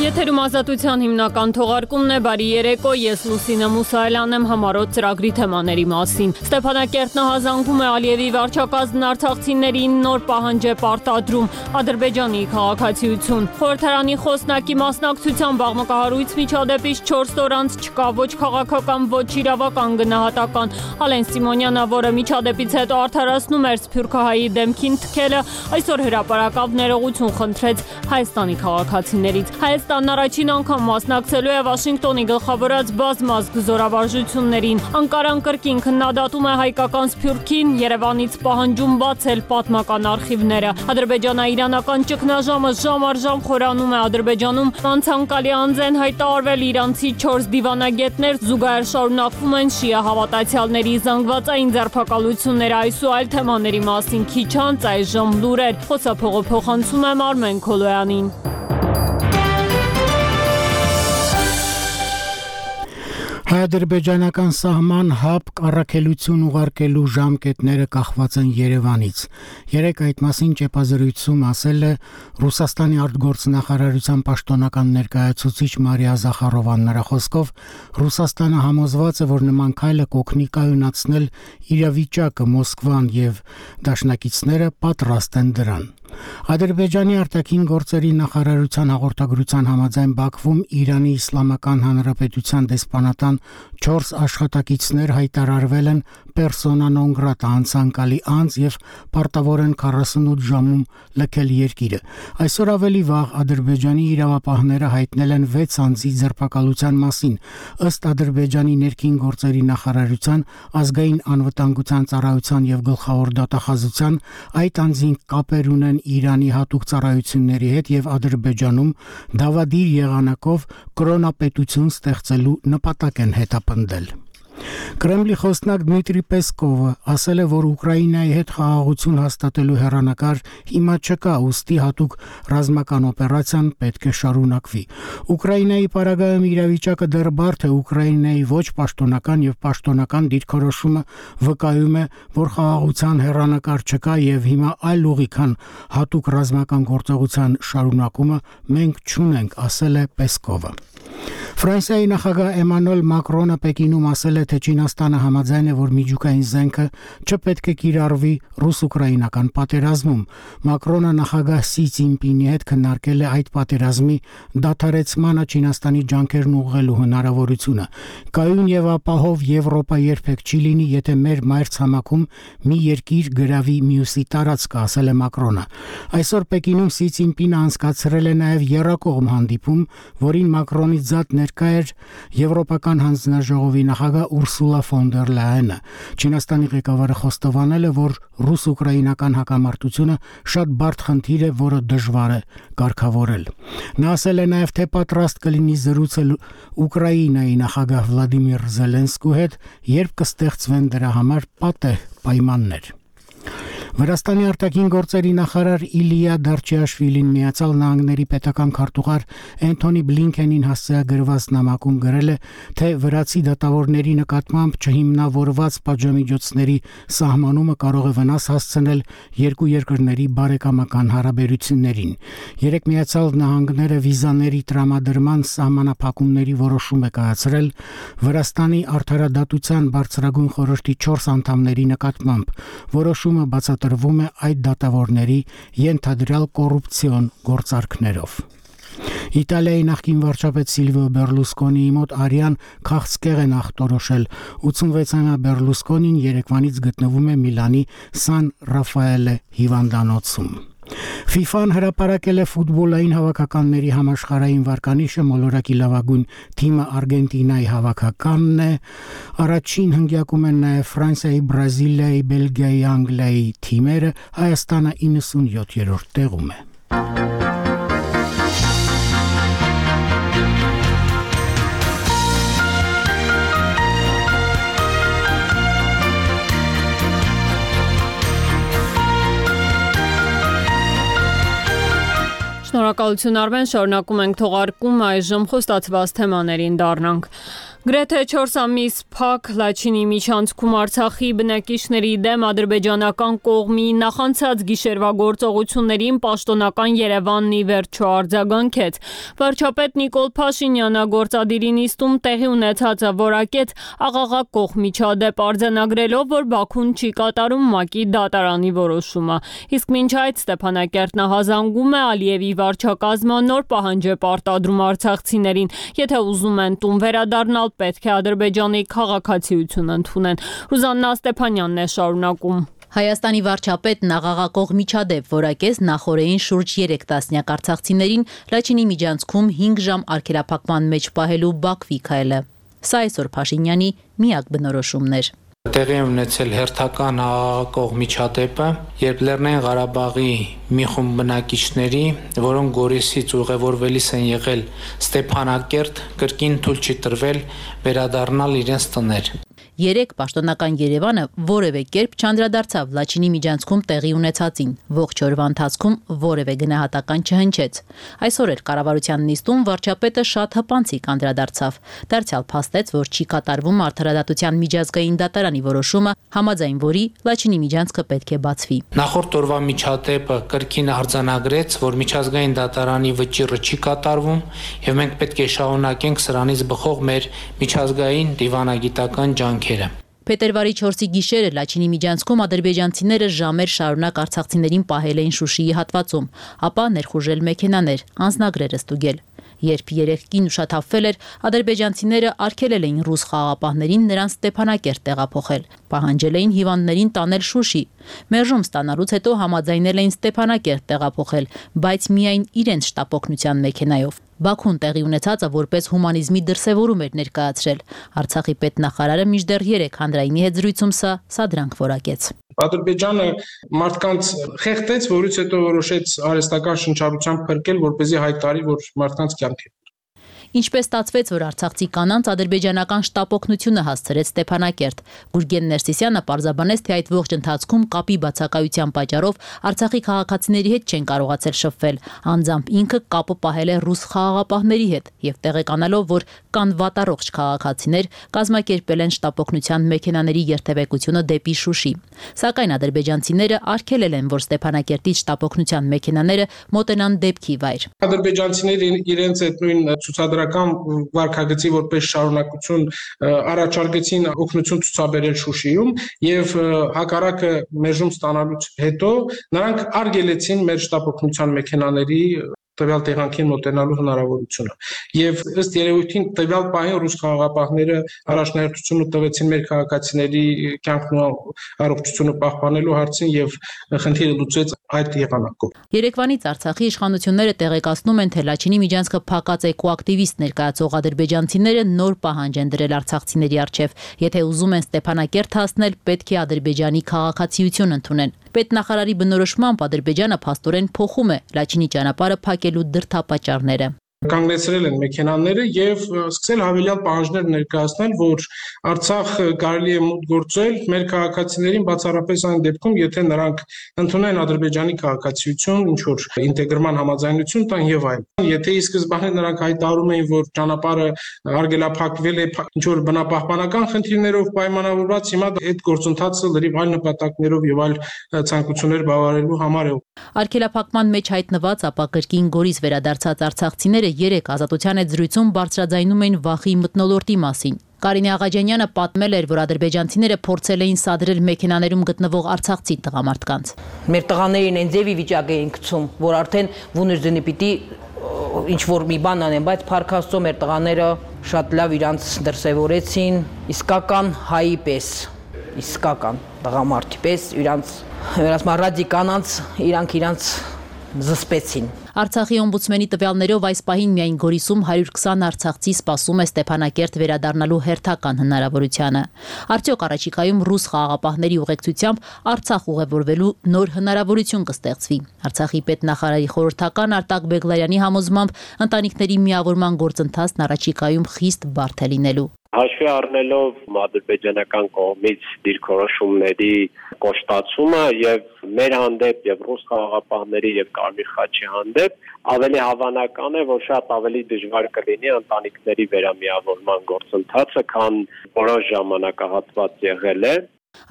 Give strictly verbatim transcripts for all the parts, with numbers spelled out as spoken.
Եթերում ազատության հիմնական թողարկումն է, բարի երեկո, ես Լուսինե Մուսայելյանն եմ, համառոտ ծրագրի թեմաների մասին։ Ստեփանակերտն հազանգում է Ալիևի վարչակազմն արցախցիներին նոր պահանջ է պարտադրում, Ադրբեջանի քաղաքացիություն։ Խորհրդարանի խոսնակի մասնակցությամբ աղմկահարույց միջադեպից չորս օր անց չկա ոչ քաղաքական, ոչ իրավական գնահատական։ Ալեն Սիմոնյանը, որը միջադեպից հետո արդարացնում էր Սփյուռքահայի դեմքին թքելը, այսօր հրապարակավ ներողություն խնդրեց Հայաստանի քաղաքացիներից։ Հայաստանն առաջին անգամ մասնակցելու է Վաշինգտոնի գլխավորած բազմազգ զորավարժություններին։ Անկարան կրկին քննադատում է հայկական Սփյուռքին, Երևանից պահանջում բացել պատմական արխիվները։ Ադրբեջանա-իրանական ճգնաժամը ժամ առ ժամ խորանում է Ադրբեջանում, անցանկալի անձ են հայտարարվել իրանցի չորս դիվանագետներ, զուգահեռ շարունակվում են շիա հավատացյալների զանգվածային ձերբակալությունները, այս ու այլ թեմաների մասին քիչ անց այժմ լուրեր։ Խոսափողը փոխանցում եմ Արմեն Քոլոյանին։ Հայ-ադրբեջանական սահման հապկ առաքելություն ուղարկելու ժամկետները կախված են Երևանից։ Երեկ այդ մասին ճեպազրույցում ասել է Ռուսաստանի արտգործնախարարության պաշտոնական ներկայացուցիչ Մարիա Զախարովան։ Նրա խոսքով Ռուսաստանը համոզված է, որ նման քայլը կօգնի կայունացնել իրավիճակը, Մոսկվան եւ դաշնակիցները պատրաստ են դրան։ Ադրբեջանի արտաքին գործերի նախարարության հաղորդագրության համաձայն Բաքվում Իրանի Իսլամական Հանրապետության դեսպանատան չորս աշխատակիցներ հայտարարվել են persona non grata անցանկալի անձ եւ պարտավոր են քառասունութ ժամում լքել երկիրը։ Այսօր ավելի վաղ Ադրբեջանի իրավապահները հայտնել են վեց անձի ձերբակալության մասին։ Ըստ Ադրբեջանի ներքին գործերի նախարարության ազգային անվտանգության ծառայության եւ գլխավոր դատախազության այդ անձին կապեր ունեն Իրանի հատուկ ծառայությունների հետ եւ Ադրբեջանում դավադիր եղանակով կրոնապետություն ստեղծելու նպատակ են հետապնդել։ Կրեմլի խոսնակ Դմիտրի Պեսկովը ասել է, որ Ուկրաինայի հետ խաղաղություն հաստատելու հեռանկար հիմա չկա, ուստի հատուկ ռազմական օպերացիան պետք է շարունակվի։ Ուկրաինայի պարագայում իրավիճակը դեռ բարդ է, Ուկրաինայի ոչ պաշտոնական եւ պաշտոնական դիրքորոշումը վկայում է, որ խաղաղության հեռանկար չկա եւ հիմա այլ ուղի քան հատուկ ռազմական գործողության շարունակումը մենք չունենք, ասել է Պեսկովը։ Ֆրանսիայի նախագահ Էմանուել Մակրոնը Պեկինում ասել է, թե Չինաստանը համաձայն է, որ միջուկային զենքը չպետք է կիրառվի ռուս-ուկրաինական պատերազմում։ Մակրոնը նախագահ Սի Ցինպինի հետ քննարկել է այդ պատերազմի դադարեցմանը Չինաստանի ջանքերն ուղղելու հնարավորությունը։ Կայուն եւ ապահով Եվրոպա երբեք չի լինի, եթե մեր մայրցամաքում մի երկիր գրավի մյուսի տարածքը, ասել է Մակրոնը։ Այսօր Պեկինում Սի Ցինպինը անցկացրել է նաեւ եռակողմ հանդիպում, որին Մակրոնի զատ ներկա էր Եվրոպական հանձնաժողովի նախագահ Ուրսուլա ֆոն դեր Լայենը։ Չինաստանի ղեկավարը խոստովանել է, որ ռուս-ուկրաինական հակամարտությունը շատ բարդ խնդիր է, որը դժվար է կարգավորել։ Նա ասել է նաև, թե պատրաստ կլինի զրուցել Ուկրաինայի նախագահ Վլադիմիր Զելենսկու հետ, երբ կստեղծվեն դրա համար պատեհ պայմաններ։ Վրաստանի արտաքին գործերի նախարար Իլիա Դարչիաշվիլին Միացյալ Նահանգների պետական քարտուղար Էնթոնի Բլինքենին հասցեագրված նամակում գրել է, թե վրացի դատավորների նկատմամբ չհիմնավորված պատժամիջոցների սահմանումը կարող է վնաս հասցնել երկու երկրների բարեկամական հարաբերություններին։ Երեք Միացյալ Նահանգները վիզաների տրամադրման սահմանափակումների որոշում է կայացրել Վրաստանի արդարադատության բարձրագույն խորհրդի չորս անդամների նկատմամբ։ Որոշումը բացատրվում է այդ դատավորների ենթադրյալ կոռուպցիոն գործարքներով։ Իտալիայի նախկին վարչապետ Սիլվիո Բերլուսկոնիի մոտ արյան քաղցկեղ են ախտորոշել։ ութսունվեցամյա Բերլուսկոնին երեկվանից գտնվում է Միլանի Սան Ռաֆաելե հիվանդանոցում։ FIFA-ն հրապարակել է ֆուտբոլային հավաքականների համաշխարհային վարկանիշը, մոլորակի լավագույն թիմը Արգենտինայի հավաքականն է, առաջին հնգյակում են նաև Ֆրանսիայի, Բրազիլիայի, Բելգիայի, Անգլիայի թիմերը, Հայաստանը իննսունյոթերորդ տեղում է։ Շնորհակալություն Արմեն, շարունակում ենք թողարկում, այժմ խոստացված թեմաներին դառնանք։ Գրեթե չորս ամիս փակ Լաչինի միջանցքում Արցախի բնակիչների դեմ ադրբեջանական կողմի նախանցած գիշերվա գործողություններին պաշտոնական Երևանն ի վերջո արձագանքեց։ Վարչապետ Նիկոլ Փաշինյանը գործադիրի նիստում տեղի ունեցածը որակեց աղաղակ կողմիչադեպ արձանագրելով, որ Բաքուն չի կատարում ՄԱԿ-ի դատարանի որոշումը։ Իսկ մինչ այդ Ստեփանակերտ նահանգում է Ալիևի վարչակազմը նոր պահանջ է պարտադրում արցախցիներին, եթե ուզում են տուն վերադառնալ, պետք է Ադրբեջանի քաղաքացիություն ընդունեն։ Ռուզաննա Ստեփանյանն է շարունակում։ Հայաստանի վարչապետն աղաղակող միջադեպ որակեց նախորդին շուրջ երեք տասնյակ արցախցիներին Լաչինի միջանցքում հինգ ժամ արգելափակման մեջ պահելու Բաքվի քայլը։ Սա այսօր Փաշինյանի միակ բնորոշումն էր։ Տեղի է ունեցել հերթական աղաղակող միջադեպը, երբ Լեռնային Ղարաբաղի մի խումբ բնակիչների, որոնք Գորիսից ուղևորվելիս են եղել Ստեփանակերտ, կրկին թույլ չի տրվել վերադառնալ իրենց տներ։ Երեք պաշտոնական Երևանը որևէ կերպ չանդրադարձավ Լաչինի միջանցքում տեղի ունեցածին, ողջ օրվա ընթացքում որևէ գնահատական չհնչեց։ Այսօր էլ կառավարության նիստում վարչապետը շատ հպանցիկ անդրադարձավ, դարձյալ փաստեց, որ չի կատարվում Արդարադատության միջազգային դատարանի որոշումը, համաձայն որի Լաչինի միջանցքը պետք է բացվի։ Նախորդ օրվա միջադեպը կրկին արձանագրեց, որ միջազգային դատարանի վճիռը չի կատարվում, եւ մենք պետք է շարունակենք սրանից բխող մեր միջազգային դիվանագիտական ջանքերը։ Փետրվարի չորսի գիշերը Լաչինի միջանցքում ադրբեջանցիները ժամեր շարունակ արցախցիներին պահել էին Շուշիի հատվածում, ապա ներխուժել մեքենաներ, անձնագրերը ստուգել։ Երբ երեք կին ուշաթափվել էր, ադրբեջանցիները արգելել էին ռուս խաղաղապահներին նրանց Ստեփանակերտ տեղափոխել, պահանջել էին հիվանդներին տանել Շուշի։ Մերժում ստանալուց հետո համաձայնել էին Ստեփանակերտ տեղափոխել, բայց միայն իրենց շտապօգնության մեքենայով։ Բաքուն տեղի ունեցածը որպես հումանիզմի դրսևորում էր ներկայացրել։ Արցախի պետնախարարը մինչդեռ երեք հանրայինի հետ զրույցում սա սադրանք որակեց։ Ադրբեջանը մարդկանց խեղդեց, որից հետո որոշեց արհեստական շնչառությամբ փրկել, որպեսզի հայտարարի, որ մարդկանց կյանք է։ Ինչպես ստացվեց, որ արցախցի կանանց ադրբեջանական շտապօգնությունը հասցրեց Ստեփանակերտ։ Գուրգեն Ներսիսյանը պարզաբանեց, թե այդ ողջ ընթացքում կապի բացակայության պատճառով Արցախի քաղաքացիների հետ չեն կարողացել շփվել։ Անձամբ ինքը կապը պահել է ռուս խաղաղապահների հետ եւ տեղեկանալով, որ կան վատառողջ քաղաքացիներ, կազմակերպել են շտապօգնության մեքենաների երթևեկությունը դեպի Շուշի։ Սակայն ադրբեջանցիները արգելել են, որ Ստեփանակերտից շտապօգնության մեքենաները մոտենան դեպքի վայր։ Ադրբեջանցիները իրենց այդ նույն ցուցադրական վարկագծի որպես շարունակություն առաջարկեցին օգնություն ցուցաբերել Շուշիում եւ հակառակը մերժում ստանալուց հետո նրանք արգելեցին մեր շտապօգնության մեքենաների տվյալ տեղանքին մոտենալու հնարավորությունը եւ ըստ երևույթին տվյալ պահին ռուս խաղաղապահները առաջնահերթությունը տվեցին մեր քաղաքացիների կյանքն ու առողջությունը պահպանելու հարցին եւ խնդիրը լուծեց այդ եղանակով։ Երեկվանից Արցախի իշխանությունները տեղեկացնում են, թե Լաչինի միջանցքը փակած էկոակտիվիստ ներկայացող ադրբեջանցիները նոր պահանջ են դրել արցախցիների առջև, եթե ուզում են Ստեփանակերտ հասնել, պետք է Ադրբեջանի քաղաքացիություն ընդունեն։ Պետնախարարի բնորոշմամբ Ադրբեջանը փաստորեն փոխում է Լաչինի ճանապարհը փակելու դրդապատճառները։ Կանգնեցրել են մեքենաները եւ սկսել հավելյալ պահանջներ ներկայացնել, որ Արցախ կարելի է մուտք գործել մեր քաղաքացիներին բացառապես այն դեպքում, եթե նրանք ընդունեն Ադրբեջանի քաղաքացիություն, ինչ որ ինտեգրման համաձայնություն տան եւ այլն։ Եթե ի սկզբանե նրանք հայտարարում էին, որ ճանապարհը արգելափակվել է ինչ որ բնապահպանական խնդիրներով պայմանավորված, հիմա այդ գործընթացը լրիվ այլ նպատակներով եւ այլ ցանկություններ բավարարելու համար է։ Արգելափակման մեջ հայտնված, ապա կրկին Գորիս վերադարձած արցախցիները երեք ազատության այդ զրույցում բարձրաձայնում էին վախի մթնոլորտի մասին։ Կարինե Աղաջանյանը պատմել էր, որ ադրբեջանցիները փորձել էին սադրել մեքենաներում գտնվող արցախցի տղամարդկանց։ Մեր տղաներին այն ձևի վիճակ էին գցում, որ արդեն վուներձենի պիտի ինչ որ մի բան անեն, բայց փառք Աստծո մեր տղաները շատ լավ իրանց դրսևորեցին, իսկական հայի պես, իսկական տղամարդի պես, իրանց վերասմարադի կանանց, իրանք իրանց զսպեցին։ Արցախի օմբուդսմենի տվյալներով այս պահին միայն Գորիսում հարյուր քսան արցախցի սպասում է Ստեփանակերտ վերադառնալու հերթական հնարավորությանը։ Արդյոք առաջիկայում ռուս խաղաղապահների ուղեկցությամբ Արցախ ուղևորվելու նոր հնարավորություն կստեղծվի։ Արցախի պետնախարարի խորհրդական Արտակ Բեգլարյանի համոզմամբ ընտանիքների միավորման գործընթացն առաջիկայում խիստ բարդ է լինելու։ Հաշվի առնելով ադրբեջանական կողմից դիրքորոշումների կոշտացումը եւ մեր հանդեպ եւ ռուս խաղաղապահների եւ Կարմիր խաչի հանդեպ ավելի հավանական է, որ շատ ավելի դժվար կլինի ընտանիքների վերամիավորման գործընթացը, քան որոշ ժամանակահատված եղել է։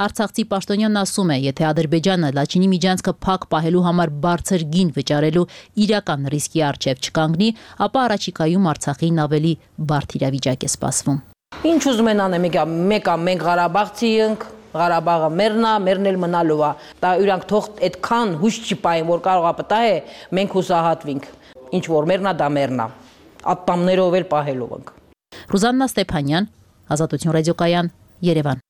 Արցախցի պաշտոնյանն ասում է, եթե Ադրբեջանը Լաչինի միջանցքը փակ պահելու համար բարձր գին վճարելու իրական ռիսկի առջև չկանգնի, ապա առաջիկայում Արցախին ավելի բարդ իրավիճակ է սպասվում։ Ինչ ուզում են անեն, մեկը մենք Ղարաբաղցի ենք, Ղարաբաղը մերն է, մերն էլ մնալու է։ Դա իրանք թող այդքան հույս չպային, որ կարող է պտա է, մենք հուսահատվենք։ Ինչ որ մերն է, դա մերն է։ Ատամներով էլ պահելով ենք։ Ռուզաննա Ստեփանյան, Ազատություն ռադիոկայան, Երևան։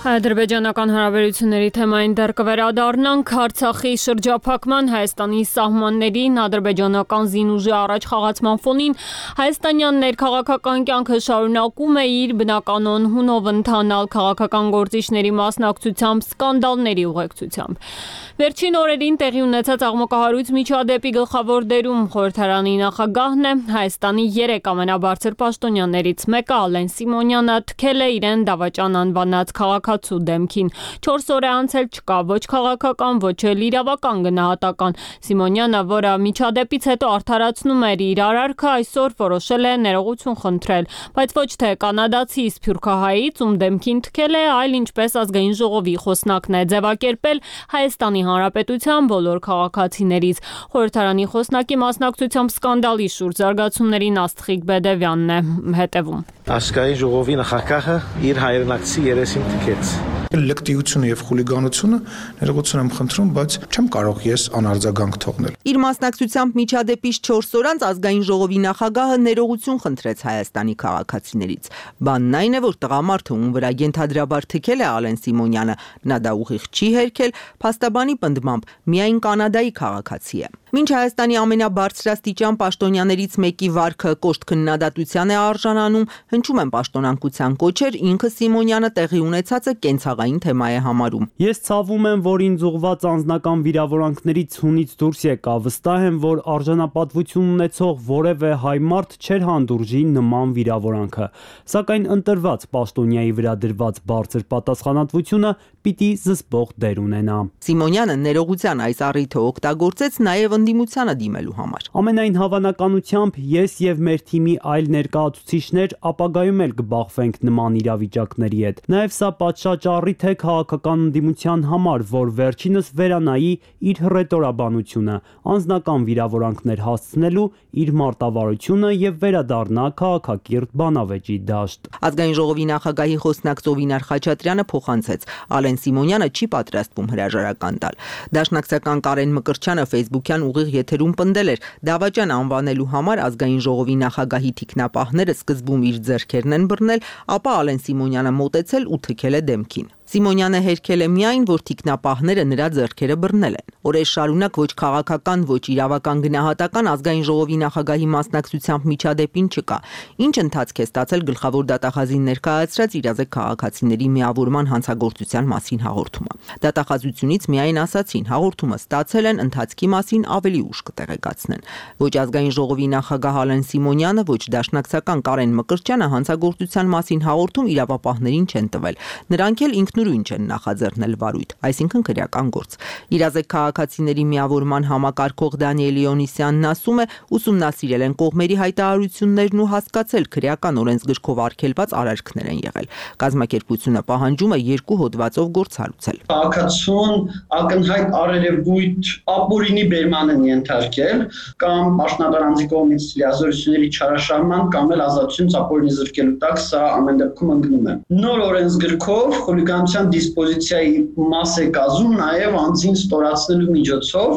Ադրբեջանական հարաբերությունների թեմային դեռ կվերադառնանք Արցախի շրջափակման Հայաստանի սահմաններին ադրբեջանական զինուժի առաջ խաղացման ֆոնին հայաստանյան ներքաղաքական կյանքը շարունակում է իր բնականon հունով ընթանալ քաղաքական գործիչների մասնակցությամբ սկանդալների ուղեկցությամբ։ Վերջին օրերին տեղի ունեցած աղմկահարույց միջադեպի գլխավոր դերում խորհրդարանի նախագահն է, Հայաստանի երեք ամենաբարձր պաշտոնյաներից մեկը Ալեն Սիմոնյանը թքել է իրեն դավաճան անվանած քաղաքացու դեմքին։ Չորս օր է անցել, չկա ոչ քաղաքական, ոչ էլ իրավական գնահատական։ Սիմոնյանը, որը միջադեպից հետո արդարացնում էր իր արարքը, այսօր որոշել է ներողություն խնդրել, բայց ոչ թե կանադացի սփյուռքահայից, ում դեմքին թքել է, այլ ինչպես ազգային ժողովի խոսնակն է ձևակերպել Հայաստանի Հանրապետության բոլոր քաղաքացիներից։ Խորհրդարանի խոսնակի մասնակցությամբ սկանդալի շուրջ զարգացումներին Աստղիկ Բեդևյանն է հետևում։ Ազգային ժողովի նախագահը իր հայրենակցի երեսին թքեց։ Լկտիությունը եւ խուլիգանությունը ներողություն եմ խնդրում, բայց չեմ կարող ես անարձագանք թողնել։ Իր մասնակցությամբ միջադեպից չորս օր անց ազգային ժողովի նախագահը ներողություն խնդրեց Հայաստանի քաղաքացիներից։ Բանն այն է, որ տղամարդը, ում վրա ենթադրաբար թքել է Ալեն Սիմոնյանը, նա դա ուղիղ չի հերքել, փաստաբանի պնդմամբ միայն կանադայի քաղաքացի է։ Մինչ Հայաստանի ամենաբարձրաստիճան պաշտոնյաներից մեկի վարքը կոշտ քննադատության է արժանանում, հնչում են պաշտոնանկության կոչեր, ինքը Սիմոնյանը տեղի ունեցածը կենցաղային թեմա է համարում։ Ես ցավում եմ, որ ինձ ուղղված անձնական վիրավորանքներից հունից դուրս եկա, վստահ եմ, որ արժանապատվություն ունեցող որևէ հայ մարդ չէր հանդուրժի նման վիրավորանքը, սակայն ընտրված պաշտոնյայի վրա դրված բարձր պատասխանատվությունը պիտի զսպող դեր ունենա։ Սիմոնյանը ներողության այս առիթը օգտագործեց նաև ընդդիմությանը դիմելու համար։ Ամենայն հավանականությամբ ես եւ մեր թիմի այլ ներկայացուցիչներ ապագայում էլ կբախվենք նման իրավիճակների հետ։ Նաեւ սա պատշաճ առիթ է քաղաքական ընդդիմության համար, որ վերջինս վերանայի իր հռետորաբանությունը, անձնական վիրավորանքներ հասցնելու իր մարտավարությունը եւ վերադառնա քաղաքակիրթ բանավեճի դաշտ։ Ազգային ժողովի նախագահի խոսնակ Զովինար Խաչատրյանը փոխանցեց. Ալեն Սիմոնյանը չի պատրաստվում հրաժարական տալ։ Դաշնակցական Կարեն Մկրտչյանը Facebook-յան ուղիղ եթերում պնդել էր. դավաճան անվանելու համար ազգային ժողովի նախագահի թիկնապահները սկզբում իր ձեռքերն են բռնել, ապա Ալեն Սիմոնյանը մոտեցել ու թքել է դեմքին։ Սիմոնյանը հերքել է միայն, որ թիկնապահները նրա ձեռքերը բռնել են։ Օրեր շարունակ ոչ քաղաքական, ոչ իրավական գնահատական ազգային ժողովի նախագահի մասնակցությամբ միջադեպին չկա։ Ինչ ընթացք է ստացել գլխավոր դատախազին ներկայացրած իրազեկ քաղաքացիների միավորման հանցագործության մասին հաղորդումը։ Դատախազությունից միայն ասացին, հաղորդումը ստացել են, ընթացքի մասին ավելի ուշ կտեղեկացնեն։ Ոչ ազգային ժողովի նախագահ Ալեն Սիմոնյանը, ոչ դաշնակցական Կարեն Մկրտչյանը հանցագործության մասին հաղորդում իրավապահներին չեն տվել։ Նրանք էլ ինքնուրույն չեն նախաձեռնել վարույթ, այսինքն քրեական գործ։ Իրազեկ քաղաքացիների միավորման համակարգող Դանիել Իոնիսյանն ասում է, ուսումնասիրել են կողմերի հայտարարություններն ու հասկացել քրեական օրենսգրքով արգելված արարքներ են եղել։ Կազմակերպությունը պահանջում է երկու հոդվածով գործառույթ։ Քաղաքացուն ակնհայտ արերևույթ ապօրինի բերման են ենթարկել կամ պաշտոնատարանձի կողմից լիազորությունների չարաշահման կամ էլ ազատությունից ապօրինի զրկելու տակ, սա ամեն դեպքում ընկնում է։ Նոր օրենսգրքով խուլիգանության դիսպոզիցիայի մաս է կազմում նաև անձին ստորացնելու միջոցով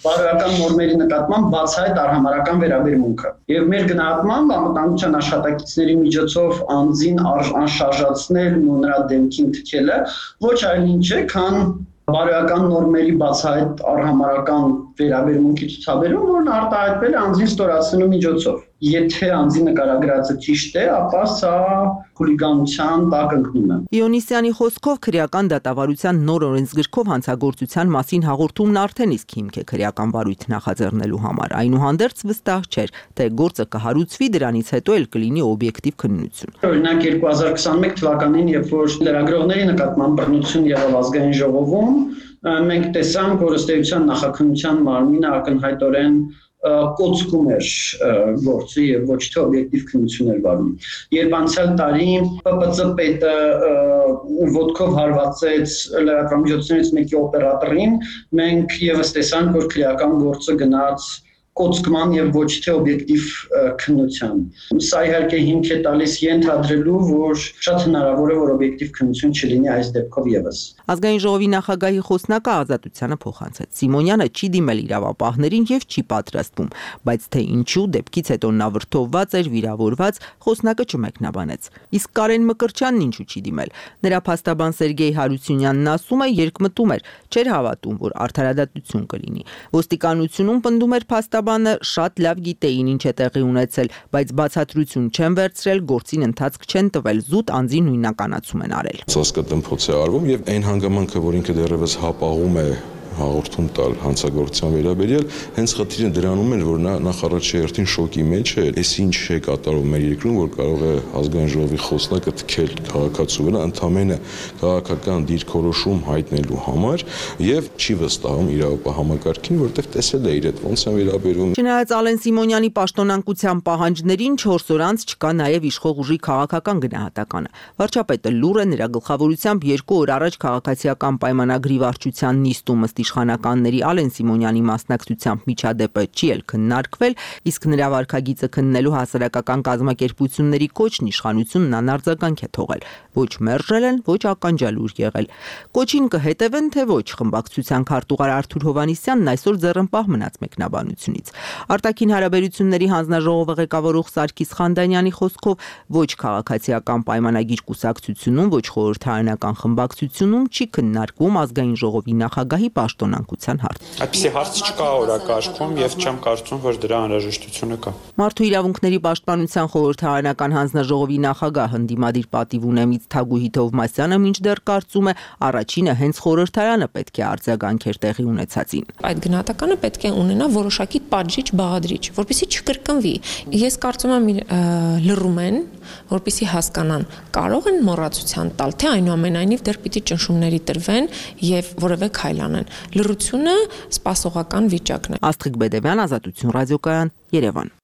բարոյական նորմերի նկատմամբ բացահայտ արհամարհական վերաբերմունքը։ Եվ մեր գնահատմամբ անվտանգության աշխատակիցների միջոցով անձին անշարժացնելն ու նրա դեմքին թքելը ոչ այլ ինչ է, քան բարոյական նորմերի բացահայտ արհամարհական վերաբերմունքի ցուցաբերում, որն արտահայտվել է անձին ստորացնելու միջոցով։ եթե անձի նկարագրածը ճիշտ է, ապա սա խուլիգանության տակ ընկնում է։ Իոնիսյանի խոսքով քրեական դատավարության նոր օրենսգրքով հանցագործության մասին հաղորդումն արդեն իսկ հիմք է քրեական վարույթ նախաձեռնելու համար։ Այնուհանդերձ վստահ չէր, թե գործը կհարուցվի, դրանից հետո էլ կլինի օբյեկտիվ քննություն։ Օրինակ երկու հազար քսաներեք թվականին, երբ որ լրագրողների նկատմամբ բռնություն եղավ ազգային ժողովում, մենք տեսանք, որ ըստ էության նախաքննության մարմինը ակնհայտորեն կոծկում էր գործը եւ ոչ թե օբյեկտիվ քննություն էր վարում։ Երբ անցյալ տարի Պ Պ Ծ պետը ոտքով հարվածեց լրատվամիջոցներից մեկի օպերատորին, մենք եւս տեսանք, որ քրեական գործը գնաց կոծկման եւ ոչ թե օբյեկտիվ քննության։ Սա իհարկե հիմք է տալիս ենթադրելու, որ շատ հնարավոր է, որ օբյեկտիվ քննություն չլինի այս դեպքով եւս։ Ազգային ժողովի նախագահի խոսնակը Ազատությանը փոխանցեց. Սիմոնյանը չի դիմել իրավապահներին եւ չի պատրաստվում, բայց թե ինչու դեպքից հետո նա վրդովված էր, վիրավորված, խոսնակը չմեկնաբանեց։ Իսկ Կարեն Մկրտչյանն ինչու չի դիմել։ Նրա փաստաբան Սերգեյ Հարությունյանն ասում է, երկմտում էր, չէր հավատում, որ արդարադատություն կլինի։ Ոստիկանությունում պնդում էր փաստաբանը շատ լավ գիտեին ինչ է տեղի ունեցել, բայց բացատրություն չեն վերցրել, գործին ընթացք չեն տվել, զուտ անձի նույնականացում են արել։ Ծածկատմփոց է արվում եւ այն հանգամանքը, որ ինքը դեռևս հապաղում է հաղորդում տալ հանցագործության վերաբերյալ, հենց խնդիրը դրանում էր, որ նա նախ առաջերտին շոկի մեջ է, այս ինչ է կատարվում մեր երկրում, որ կարող է ազգային ժողովի խոսնակը թքել քաղաքացու վրա, ընդամենը քաղաքական դիրքորոշում հայտնելու համար եւ չի վստահում իրավապահ համակարգին, որտեղ տեսել է իր հետ ոնց են վերաբերվում։ Չնայած Ալեն Սիմոնյանի պաշտոնանկության պահանջներին չորս օր անց չկա նաեւ իշխող ուժի քաղաքական գնահատականը։ Վարչապետը լուր է, նրա գլխավորությամբ երկու օր առաջ քաղաքացիական պայմանագրի վարչության նիստում ըստ իշխանականների Ալեն Սիմոնյանի մասնակցությամբ միջադեպը չի էլ քննարկվել, իսկ նրա վարքագիծը քննելու հասարակական կազմակերպությունների կոչն իշխանությունն անարձագանք է թողել։ Ոչ մերժել են, ոչ ականջալուր եղել։ Կոչին կհետևեն, թե ոչ, խմբակցության քարտուղար Արթուր Հովհաննիսյանն այսօր ձեռնպահ մնաց մեկնաբանությունից։ Արտաքին հարաբերությունների հանձնաժողովը ղեկավարող Սարգիս Խանդանյանի խոսքով ոչ քաղաքացիական պայմանագիր կուսակցությունում, ոչ խորհրդարանական խմբակցությունում չի քննարկվում ազգային ժողովի նախագահի պաշտոնանկության հարց։ Այդպիսի հարց չկա օրակարգում եւ չեմ կարծում, որ դրա անհրաժեշտությունը կա։ Մարդու իրավունքների պաշտպանության խորհրդարանական հանձնաժողովի նախագահ հնդիմադիր պատիվ ունեմից Թագուհի Թովմասյանը մինչդեռ կարծում է, առաջինը հենց խորհրդարանը պետք է արձագանքեր տեղի ունեցածին։ Այդ գնահատականը պետք է ունենա որոշակի պատժիչ, բաղադրիչ, որպեսզի չկրկնվի։ Ես կարծում եմ լռում են, որպեսզի հասկանան, կարող են մոռացության տալ, թե այնուամենայնիվ դեռ պիտի ճնշումների տրվեն եւ որևէ քայլ անեն։ Լռությունը սպասողական վիճակն է։ Աստղիկ Բեդևյան, Ազատություն ռադիոկայան, Երևան։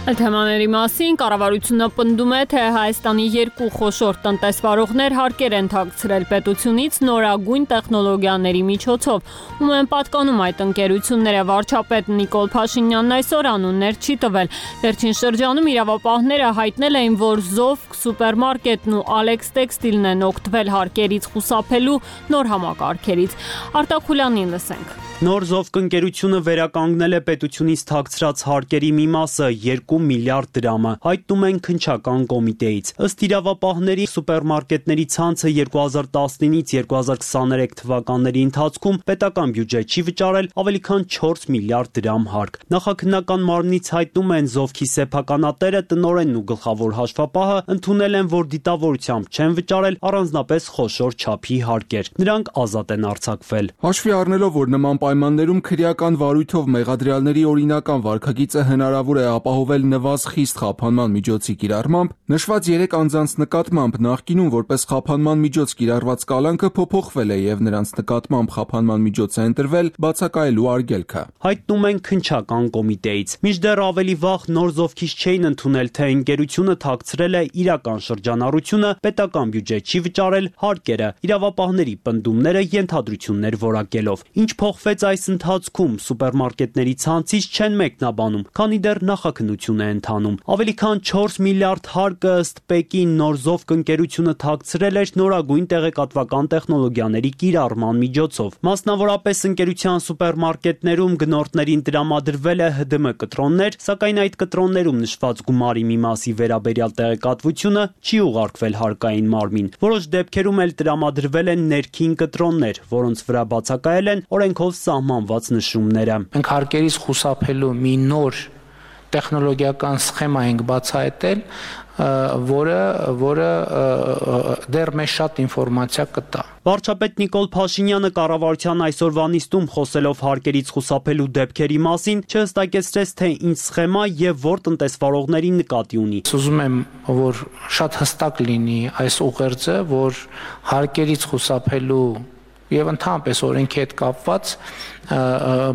Թեմաների մասին կառավարությունը պնդում է, թե Հայաստանի երկու խոշոր տնտեսվարողներ հարկեր են թաքցրել պետությունից նորագույն տեխնոլոգիաների միջոցով, ում են պատկանում այդ ընկերությունները։ Վարչապետ Նիկոլ Փաշինյանն այսօր անուններ չի տվել։ Վերջին շրջանում իրավապահները հայտնել էին, որ Զովք սուպերմարկետն ու Ալեքս տեքստիլն են օգտվել հարկերից խուսափելու նոր համակարգերից։ Արտակ Խուլյանին լսենք։ Նոր Զովք ընկերությունը վերականգնել է պետությունից թաքցրած հարկերի մի մասը՝ երկու միլիարդ դրամը, հայտնում են քննչական կոմիտեից։ Ըստ իրավապահների, սուպերմարկետների ցանցը երկու հազար տասնինից երկու հազար քսաներեք թվականների ընթացքում պետական բյուջե չի վճարել ավելի քան չորս միլիարդ դրամ հարկ։ Նախաքննական մարմնից հայտնում են Զովքի սեփականատերը, տնօրենն ու գլխավոր հաշվապահը ընդունել են, որ դիտավորությամբ չեն վճարել առանձնապես խոշոր չափի հարկեր։ Նրանք ազատ են արձակվել։ Հաշվի առնելով, որ նման պայմաններում քրեական վարույթով մեղադրյալների օրինական վարքագիծը հնարավոր է ապահովել նվազ խիստ խափանման միջոցի կիրառմամբ, նշված երեք անձանց նկատմամբ նախկինում որպես խափանման միջոց կիրառված կալանքը փոփոխվել է եւ նրանց նկատմամբ խափանման միջոց է ընտրվել բացակայելու արգելքը։ Հայտնում են քննչական կոմիտեից։ Մինչդեռ ավելի վաղ Նոր Զովքից չէին ընդունել, թե ընկերությունը թաքցրել է իրական շրջանառությունը, պետական բյուջե չի վճարել հարկերը, իրավապահների պնդումները ենթադրություններ որակելով։ Ինչ փոխվեց այս ընթացքում, սուպերմարկետների ցանցից չեն մեկնաբանում, քանի դեռ նախաքննություն զարգացումն է ընթանում։ Ավելի քան չորս միլիարդ հարկը ըստ Պեկին նոր Զովք ընկերությունը թաքցրել էր նորագույն տեղեկատվական տեխնոլոգիաների կիրառման միջոցով։ Մասնավորապես ընկերության սուպերմարկետներում գնորդներին տրամադրվել է Հ Դը Մ կտրոններ, սակայն այդ կտրոններում նշված գումարի մի մասի վերաբերյալ տեղեկատվությունը չի ուղարկվել հարկային մարմին։ Որոշ դեպքերում էլ տրամադրվել են ներքին կտրոններ, որոնց վրա բացակայել են օրենքով սահմանված նշումները։ Մենք հարկերից խուսափելու մի նոր տեխնոլոգիական սխեմա ենք բացահայտել, որը որը դեռ մեզ շատ ինֆորմացիա կտա։ Վարչապետ Նիկոլ Փաշինյանը կառավարության այսօրվա նիստում խոսելով հարկերից խուսափելու դեպքերի մասին չհստակեցրեց, թե ինչ սխեմա եւ որ տնտեսվարողների նկատի ունի։ Ուզում եմ, որ շատ հստակ լինի այս ուղերձը, որ հարկերից խուսափելու եւ ընդհանրապես օրենքի հետ կապված,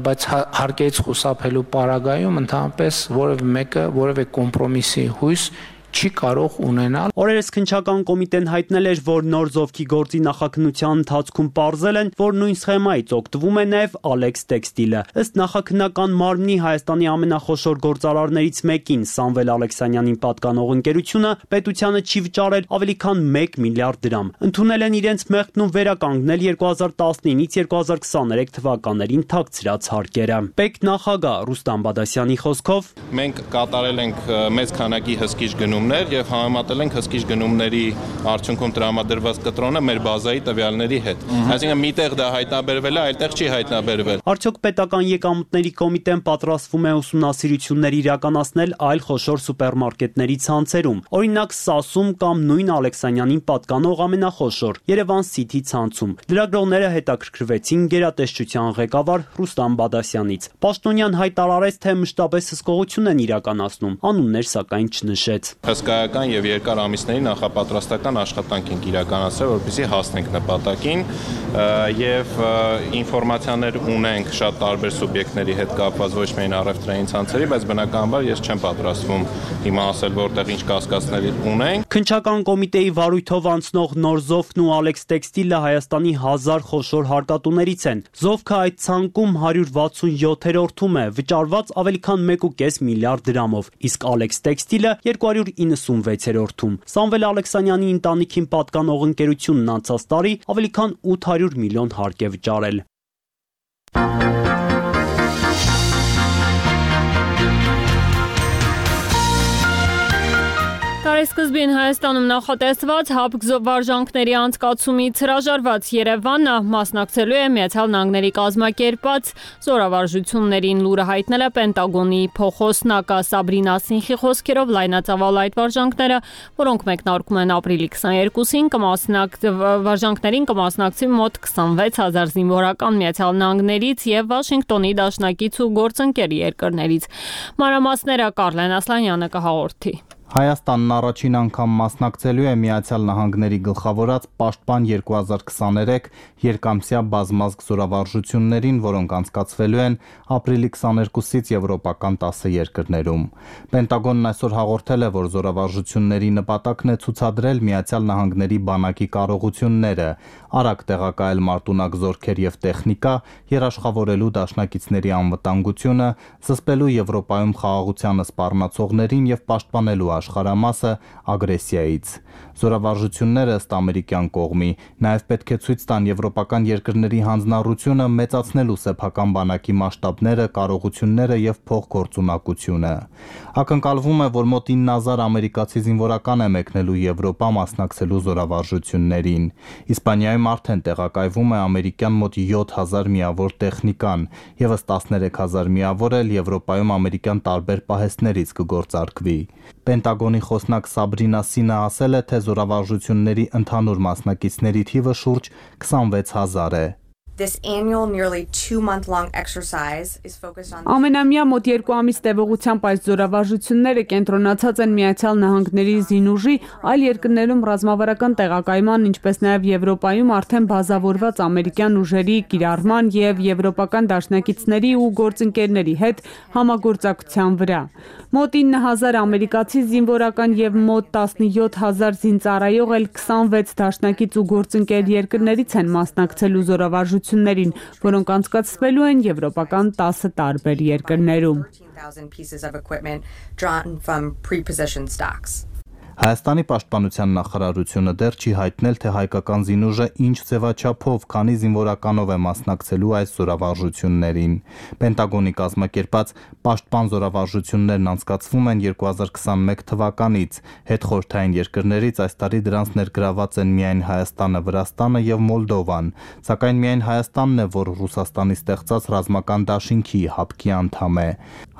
բայց հարկերից խուսափելու պարագայում ընդհանրապես որևէ մեկը որևէ կոմպրոմիսի հույս չի կարող ունենալ։ Օրերս քննչական կոմիտեն հայտնել էր, որ նոր Զովքի գործի նախաքննության ընթացքում պարզել են, որ նույն սխեմայից օգտվում է նաև Ալեքս Տեքստիլը։ Ըստ նախաքննական մարմնի Հայաստանի ամենախոշոր գործարարներից մեկին Սամվել Ալեքսանյանին պատկանող ընկերությունը պետությանը չի վճարել ավելի քան մեկ միլիարդ դրամ։ Ընդունել են իրենց մեղքն ու վերականգնել երկու հազար տասնինից երկու հազար քսաներեք թվականներին թաքցրած հարկերը։ Պեկ նախագահ Ռուստամ Բադասյանի խոսքով մենք կատարել ենք մեծ քանակի հսկիչ գնումներ եւ համեմատել ենք հսկիչ գնումների արդյունքում տրամադրված կտրոնը մեր բազայի տվյալների հետ։ Այսինքն միտեղ դա հայտնաբերվել է, այլտեղ չի հայտնաբերվել։ Արդյոք պետական եկամուտների կոմիտեն պատրաստվում է ուսումնասիրություններ իրականացնել այլ խոշոր սուպերմարկետների ցանցերում, օրինակ Սասում կամ նույն Ալեքսանյանին պատկանող ամենախոշոր Երևան Սիթի ցանցում։ Լրագրողները հետաքրքրվեցին գերատեսչության ղեկավար Ռուստամ Բադասյանից։ Պաշտոնյան հայտարարեց, թե մշտապես հսկողություն են իրականացնում, անուններ սակայն չնշեց։ Հսկայական եւ երկար ամիսների նախապատրաստական աշխատանք ենք իրականացրել, որպեսզի հասնենք նպատակին եւ ինֆորմացիաներ ունենք շատ տարբեր սուբյեկտների հետ կապված ոչ միայն առևտրային ցանցերի, բայց բնականաբար ես չեմ պատրաստվում հիմա ասել որտեղ ինչ կասկածներ ունենք։ Քննչական կոմիտեի վարույթով անցնող նոր Զովքն ու Ալեքս Տեքստիլը Հայաստանի հազար խոշոր հարկատուներից են։ Զովքը այդ ցանկում հարյուր վաթսունյոթերորդում է, վճարված ավելի քան մեկ ու կես միլիարդ դրամով, իսկ Ալեքս Տեքստիլը երկու հարյուր իննսունվեցերորդում։ Սամվել Ալեքսանյանի ընտանիքին պատկանող ընկերությունն անցած տարի ավելի քան ութ հարյուր միլիոն հարկ է վճարել։ Տարեսկզբին Հայաստանում նախատեսված ՀԱՊԿ վարժանքների անցկացումից հրաժարված Երևանը մասնակցելու է Միացյալ Նահանգների կազմակերպած զորավարժություններին, լուրը հայտնել է Պենտագոնի փոխոսնակը Սաբրինա Սինխի խոսքերով լայնածավալ այդ վարժանքները, որոնք մեկնարկում են ապրիլի քսաներկուսին, կմասնակ վարժանքներին կմասնակցի մոտ քսանվեց հազար զինվորական Միացյալ Նահանգներից եւ Վաշինգտոնի դաշնակից ու գործընկեր երկրներից։ Մանրամասները Կարլեն Ասլանյանը կհաղորդի։ Հայաստանն առաջին անգամ մասնակցելու է Միացյալ Նահանգների գլխավորած Պաշտպան երկու հազար քսաներեք երկամսյա բազմազգ զորավարժություններին, որոնք անցկացվելու են ապրիլի քսաներկուսից եվրոպական տասը երկրներում։ Պենտագոնն այսօր հաղորդել է, որ զորավարժությունների նպատակն է ցուցադրել Միացյալ Նահանգների բանակի կարողությունները, արագ տեղակայել մարտունակ զորքեր եւ տեխնիկա, երաշխավորելու դաշնակիցների անվտանգությունը, զսպելու Եվրոպայում խաղաղությանը սպառնացողներին եւ պաշտպանելու աշխարհամասը ագրեսիայից։ Զորավարժությունները ըստ ամերիկյան կողմի նաև պետք է ցույց տան եվրոպական երկրների հանձնառությունը մեծացնելու սեփական բանակի մասշտաբները, կարողությունները եւ փոխգործունակությունը։ Ակնկալվում է, որ մոտ ինը հազար ամերիկացի զինվորական է մեկնելու Եվրոպա մասնակցելու զորավարժություններին։ Իսպանիայում արդեն տեղակայվում է ամերիկյան մոտ յոթ հազար միավոր տեխնիկան, եւս տասներեք հազար միավոր էլ Եվրոպայում ամերիկյան տարբեր պահեստներից կգործարկվի։ Պենտագոնի խոսնակ Սաբրինա Սինը ասել է, թե զորավարժությունների ընդհանուր մասնակիցների թիվը շուրջ քսանվեց հազար է։ This annual nearly two month long exercise is focused on Ամենամյա մոտ երկու ամիս տևողությամբ այս զորավարժությունները կենտրոնացած են Միացյալ Նահանգների զինուժի, այլ երկրներում ռազմավարական տեղակայման, ինչպես նաև Եվրոպայում արդեն բազավորված ամերիկյան ուժերի կիրառման եւ եվրոպական դաշնակիցների ու գործընկերների հետ համագործակցության վրա։ Մոտ ինը հազար ամերիկացի զինվորական եւ մոտ տասնյոթ հազար զինծառայող էլ քսանվեց դաշնակից ու գործընկեր երկրներից են մասնակցելու զորավարժություններին, որոնք անցկացվելու են եվրոպական տասը տարբեր երկրներում։ Հայաստանի պաշտպանության նախարարությունը դեռ չի հայտնել, թե հայկական զինուժը ինչ ձևաչափով, քանի զինվորականով է մասնակցելու այս զորավարժություններին։ Պենտագոնի կազմակերպած պաշտպան զորավարժություններն անցկացվում են երկու հազար քսանմեկ թվականից։ Հետխորհրդային երկրներից այս տարի դրանց ներգրաված են միայն Հայաստանը, Վրաստանը եւ Մոլդովան, սակայն միայն Հայաստանն է, որ Ռուսաստանի ստեղծած ռազմական դաշինքի հապկի անդամ է։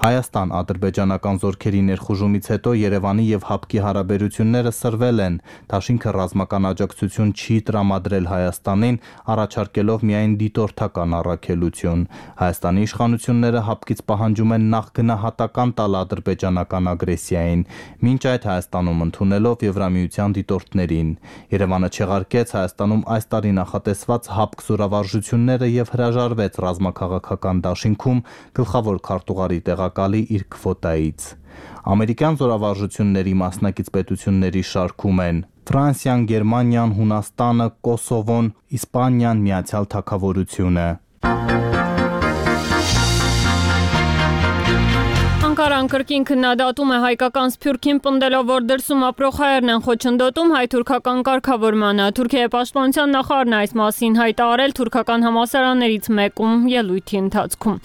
Հայաստան-ադրբեջանական զորքերի ներխուժումից հետո Երևանի եւ հապկի հարաբերությունները սրվել են։ Դաշինքը ռազմական աջակցություն չի տրամադրել Հայաստանին, առաջարկելով միայն դիտորդական առաքելություն։ Հայաստանի իշխանությունները հապկից պահանջում են նախ գնահատական տալ ադրբեջանական ագրեսիային, մինչ այդ Հայաստանում ընդունելով Եվրամիության դիտորդներին։ Երևանը չեղարկեց Հայաստանում այս տարի նախատեսված հապկ զորավարժությունները եւ հրաժարվեց ռազմաքաղաքական դաշինքում գլխավոր քարտուղարի տեղակալի իր քվոտայից։ Ամերիկյան զորավարժությունների մասնակից պետությունների շարքում են Ֆրանսիան, Գերմանիան, Հունաստանը, Կոսովոն, Իսպանիան, Միացյալ Թագավորությունը։ Անկարան կրկին քննադատում է հայկական Սփյուռքին, պնդելով, որ դրսում ապրող հայերն են խոչընդոտում հայ-թուրքական կարգավորմանը։ Թուրքիայի պաշտպանության նախարարն այս մասին հայտարարել թուրքական համալսարաններից մեկում ելույթի ընթացքում։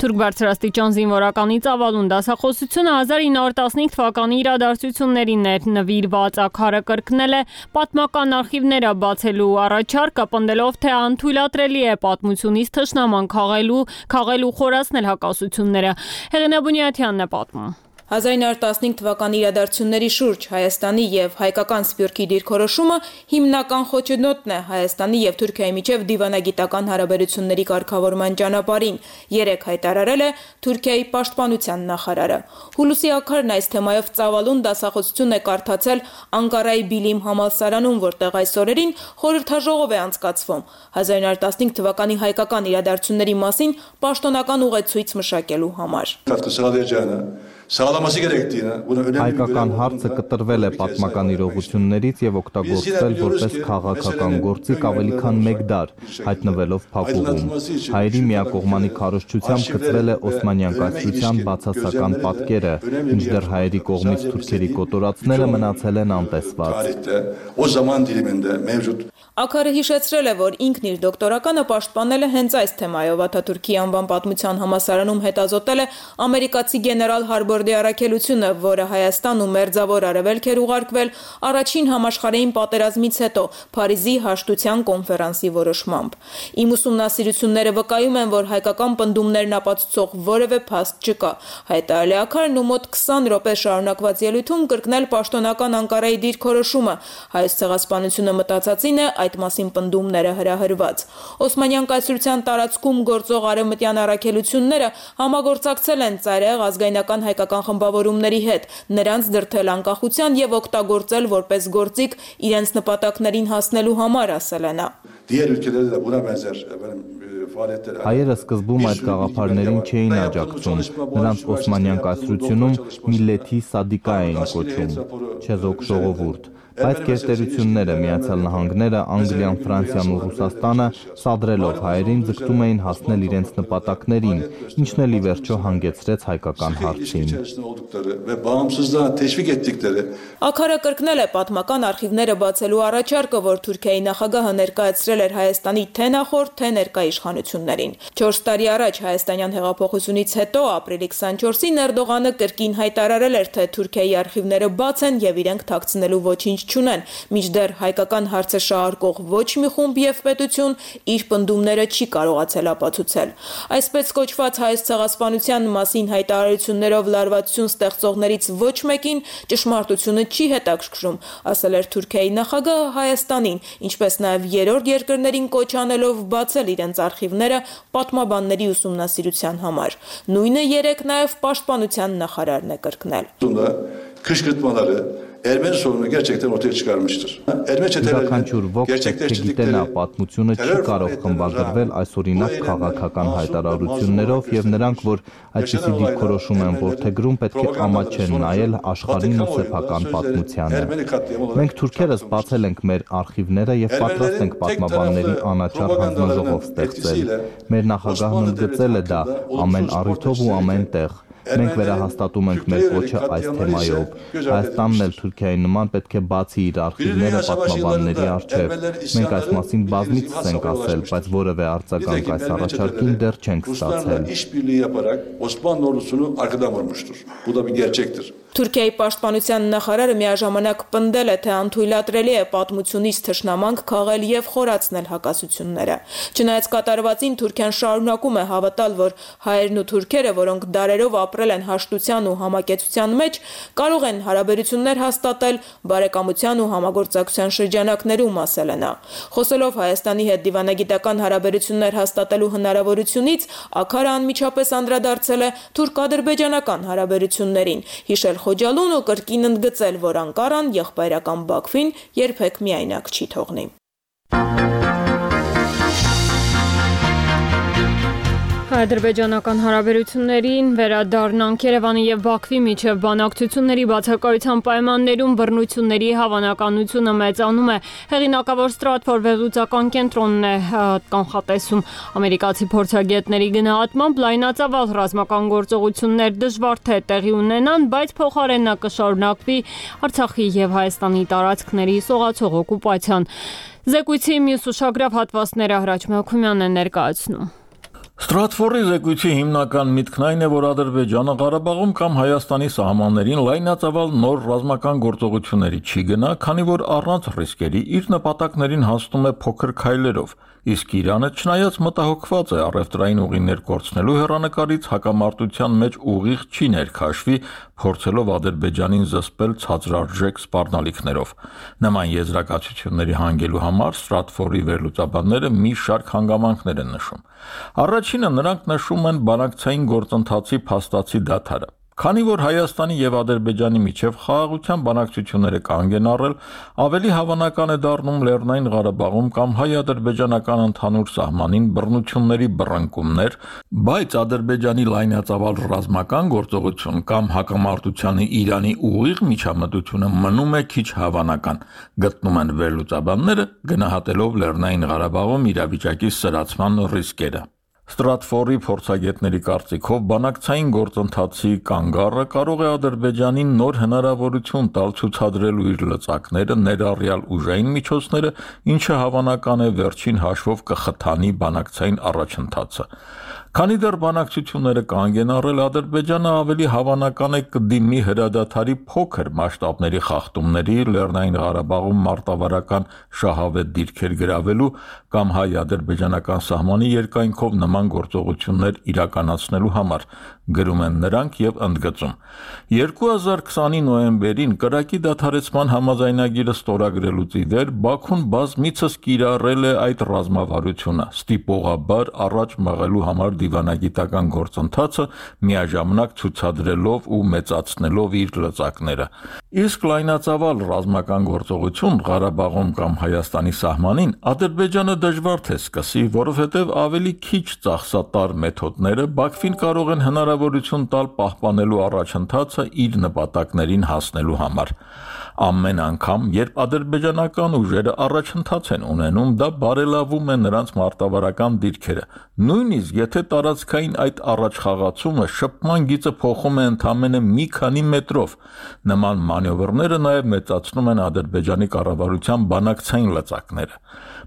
Թուրք բարձրաստիճան զինվորականի ծավալուն դասախոսությունը հազար ինը հարյուր տասնհինգ թվականի իրադարձություններին էր նվիրված։ Աքարը կրկնել է պատմական արխիվները բացելու առաջարկը, պնդելով, թե անթույլատրելի է պատմությունից թշնաման քաղելու, քաղելու խորացնել հակասությունները։ Հեղինե Բունյաթյանն է պատմում։ հազար ինը հարյուր տասնհինգ թվականի իրադարձությունների շուրջ Հայաստանի եւ հայկական Սփյուռքի դիրքորոշումը հիմնական խոչընդոտն է Հայաստանի եւ Թուրքիայի միջև դիվանագիտական հարաբերությունների կարգավորման ճանապարհին, երեք հայտարարել է Թուրքիայի պաշտպանության նախարարը։ Հուլիսի աքարն այս թեմայով ծավալուն դասախոսություն է կարդացել Անկարայի Բիլիմ համալսարանում, որտեղ այս օրերին խորհրդաժողով է անցկացվում հազար ինը հարյուր տասնհինգ թվականի հայկական իրադարձությունների մասին պաշտոնական ուղեցույց մշակելու համար։ Հայկական հարցը կտրվել է պատմական իրողություններից եւ օգտագործվել որպես քաղաքական գործիք ավելի քան մեկ դար, հայտնվելով փակուղում։ Հայերի միակողմանի քարոզչությամբ գծվել է Օսմանյան կայսրության բացասական պատկերը, մինչդեռ հայերի կողմից թուրքերի կոտորածները մնացել են անտեսված։ Աքարը հիշեցրել է, որ ինքն իր դոկտորականը պաշտպանել է հենց այս թեմայով։ Աթաթուրքի անվան պատմության համալսարանում հետազոտել է ամերիկացի գեներալ Հարբորդի առաքելությունը, որը Հայաստան ու Մերձավոր Արևելք էր ուղարկվել առաջին համաշխարհային պատերազմից հետո Փարիզի հաշտության կոնֆերանսի որոշմամբ։ Իմ ուսումնասիրությունները վկայում են, որ հայկական պնդումներն ապացուցող որևէ փաստ չկա։ Հայտարարել է Աքարն ու մոտ քսան րոպե շարունակված ելույթում կրկնել պաշտոնական Անկարայի դիրքորոշումը։ Հայոց ցեղասպանությունը մտածածին է այդ մասին պնդումները հրահրված։ Օսմանյան կայսրության տարածքում գործող արևմտյան առաքելությունները համագործակցել են ծայրահեղ ազգայնական հայկական խմբավորումների հետ, նրանց դրդել անկախության եւ օգտագործել որպես գործիք իրենց նպատակներին հասնելու համար, ասել է նա։ Հայերը սկզբում այդ գաղափարներին չէին աջակցում, նրանց Օսմանյան կայսրությունում միլեթի սադիկա էին կոչում, չեզոք ժողովուրդ։ Բայց գերտերությունները, Միացյալ Նահանգները, Անգլիան, Ֆրանսիան ու Ռուսաստանը սադրելով հայերին ձգտում էին հասնել իրենց նպատակներին, ինչն էլ ի վերջո հանգեցրեց հայկական հարցին։ Աքարը կրկնել է պատմական արխիվները բացելու առաջարկը, որ Թուրքիայի նախագահը ներկայացրել էր Հայաստանի թե նախորդ, թե ներկա իշխանություններին։ Չորս տարի առաջ հայաստանյան հեղափոխությունից հետո ապրիլի քսանչորսին Էրդողանը կրկին հայտարարել էր, թե Թուրքիայի արխիվները բաց են եւ իրենք թաքցնելու ոչինչ չունեն, մինչդեռ հայկական հարցը շահարկող ոչ մի խումբ եւ պետություն իր պնդումները չի կարողացել ապացուցել։ Այսպես կոչված հայոց ցեղասպանության մասին հայտարարություններով լարվածություն ստեղծողներից ոչ մեկին ճշմարտությունը չի հետաքրքրում, ասել էր Թուրքիայի նախագահը Հայաստանին, ինչպես նաեւ երրորդ երկրներին կոչ անելով բացել իրենց արխիվները պատմաբանների ուսումնասիրության համար։ Նույնը երեք նաեւ պաշտպանության նախարարն է կրկնել։ Ermeni sorunu gerçekten ortaya çıkarmıştır. Ermeni çetelerinin gerçekleştirdikleri պատմությունը չի կարող խմբագրվել այսօրինակ քաղաքական հայտարարություններով եւ նրանք, որ այսպիսի դիրքորոշում են որդեգրում, պետք է ամաչեն նայել աշխարհին ու սեփական պատմությանը։ Մենք թուրքերս բացել ենք մեր արխիվները եւ պատրաստ ենք պատմաբանների անաչառ հանձնաժողով ստեղծել։ Մեր նախագահն ընդգծել է դա ամեն առիթով ու ամեն տեղ։ Մենք վերահաստատում ենք մեր կոչը այս թեմայով։ Հայաստանն էլ Թուրքիայի նման պետք է բացի իր արխիվները պատմաբանների առջև։ Մենք այս մասին բազմիցս ենք ասել, բայց որևէ արձագանք այս առաջարկին դեռ չենք ստացել։ Թուրքիայի պաշտպանության նախարարը միաժամանակ պնդել է, թե անթույլատրելի է պատմությունից թշնամանք քաղել եւ խորացնել հակասությունները։ Չնայած կատարվածին Թուրքիան շարունակում է հավատալ, որ հայերն ու թուրքերը, որոնք դարերով ապրել են հաշտության ու համակեցության մեջ, կարող են հարաբերություններ հաստատել բարեկամության ու համագործակցության շրջանակներում, ասել է նա։ Խոսելով Հայաստանի հետ դիվանագիտական հարաբերություններ հաստատելու հնարավորությունից, Աքարը անմիջապես անդրադարձել է թուրք-ադրբեջանական հարաբերություններին, հիշել Խոջալուն ու կրկին ընդգծել, որ Անկարան եղբայրական Բաքվին երբեք միայնակ չի թողնի։ Ադրբեջանական հարաբերություններին վերադառնանք Երևանի եւ Բաքվի միջև բանակցությունների բացակայության պայմաններում բռնությունների հավանականությունը մեծանում է։ Հեղինակավոր Stratfor վերլուծական կենտրոնն է կանխատեսում։ Ամերիկացի փորձագետների գնահատմամբ լայնածավալ ռազմական գործողություններ դժվար թե տեղի ունենան, բայց փոխարենն նա կշարունակվի Արցախի եւ Հայաստանի տարածքների սողացող օկուպացիան։ Զեկույցի մյուս ուշագրավ հատվածները Հրաչ Մելքումյանն է ներկայացնում։ Stratfor-ի զեկույցի հիմնական միտքն այն է, որ Ադրբեջանը Ղարաբաղում կամ Հայաստանի սահմաններին լայնածավալ նոր ռազմական գործողությունների չի գնա, քանի որ առանց ռիսկերի իր նպատակներին հասնում է փոքր քայլերով, իսկ Իրանը չնայած մտահոգված է առևտրային ուղիներ կորցնելու հեռանկարից հակամարտության մեջ ուղիղ չի ներքաշվի, փորձելով Ադրբեջանին զսպել ցածրարժեք սպառնալիքներով։ Նման եզրակացությունների հանգելու համար Stratfor-ի վերլուծաբանները մի շարք հանգամանքներ են նշում։ Առաջինը նրանք նշում են բանակցային գործընթացի փաստացի դադարը։ Քանի որ Հայաստանի եւ Ադրբեջանի միջև խաղաղության բանակցությունները կանգ են առել, ավելի հավանական է դառնում Լեռնային Ղարաբաղում կամ հայ-ադրբեջանական ընդհանուր սահմանին բռնությունների բռնկումներ, բայց Ադրբեջանի լայնածավալ ռազմական գործողություն կամ հակամարտությանը Իրանի ուղիղ միջամտությունը մնում է քիչ հավանական, գտնում են վերլուծաբանները, գնահատելով Լեռնային Ղարաբաղում իրավիճակի սրացման ռիսկերը։ Stratfor-ի փորձագետների կարծիքով բանակցային գործընթացի կանգառը կարող է Ադրբեջանին նոր հնարավորություն տալ ցուցադրելու իր լծակները, ներառյալ ուժային միջոցները, ինչը հավանական է վերջին հաշվով կխթանի բանակցային առաջընթացը։ Քանի դեռ բանակցությունները կանգ են առել, Ադրբեջանը ավելի հավանական է կդիմի հրադադարի փոքր մասշտաբների խախտումների, Լեռնային Ղարաբաղում մարտավարական շահավետ դիրքեր գրավելու կամ հայ-ադրբեջանական սահմանի երկայնքով նման գործողություններ իրականացնելու համար, գրում են նրանք եւ ընդգծում։ երկու հազար քսանի նոյեմբերին կրակի դադարեցման համաձայնագիրը ստորագրելուց ի վեր Բաքուն բազմիցս կիրառել է այդ ռազմավարությունը, ստիպողաբար առաջ մղելու համար դիվանագիտական գործընթացը, միաժամանակ ցուցադրելով ու մեծացնելով իր լծակները։ Իսկ լայնածավալ ռազմական գործողություն Ղարաբաղում կամ Հայաստանի սահմանին Ադրբեջանը դժվար թե սկսի, որովհետև ավելի քիչ ծախսատար մեթոդները Բաքվին կարող են հնարավորություն տալ պահպանելու առաջընթացը իր նպատակներին հասնելու համար։ Ամեն անգամ, երբ ադրբեջանական ուժերը առաջընթաց են ունենում, դա բարելավում է նրանց մարտավարական դիրքերը։ Նույնիսկ եթե տարածքային այդ առաջխաղացումը շփման գիծը փոխում է ընդամենը մի քանի մետրով, նման մանևրները նաև մեծացնում են Ադրբեջանի կառավարության բանակցային լծակները։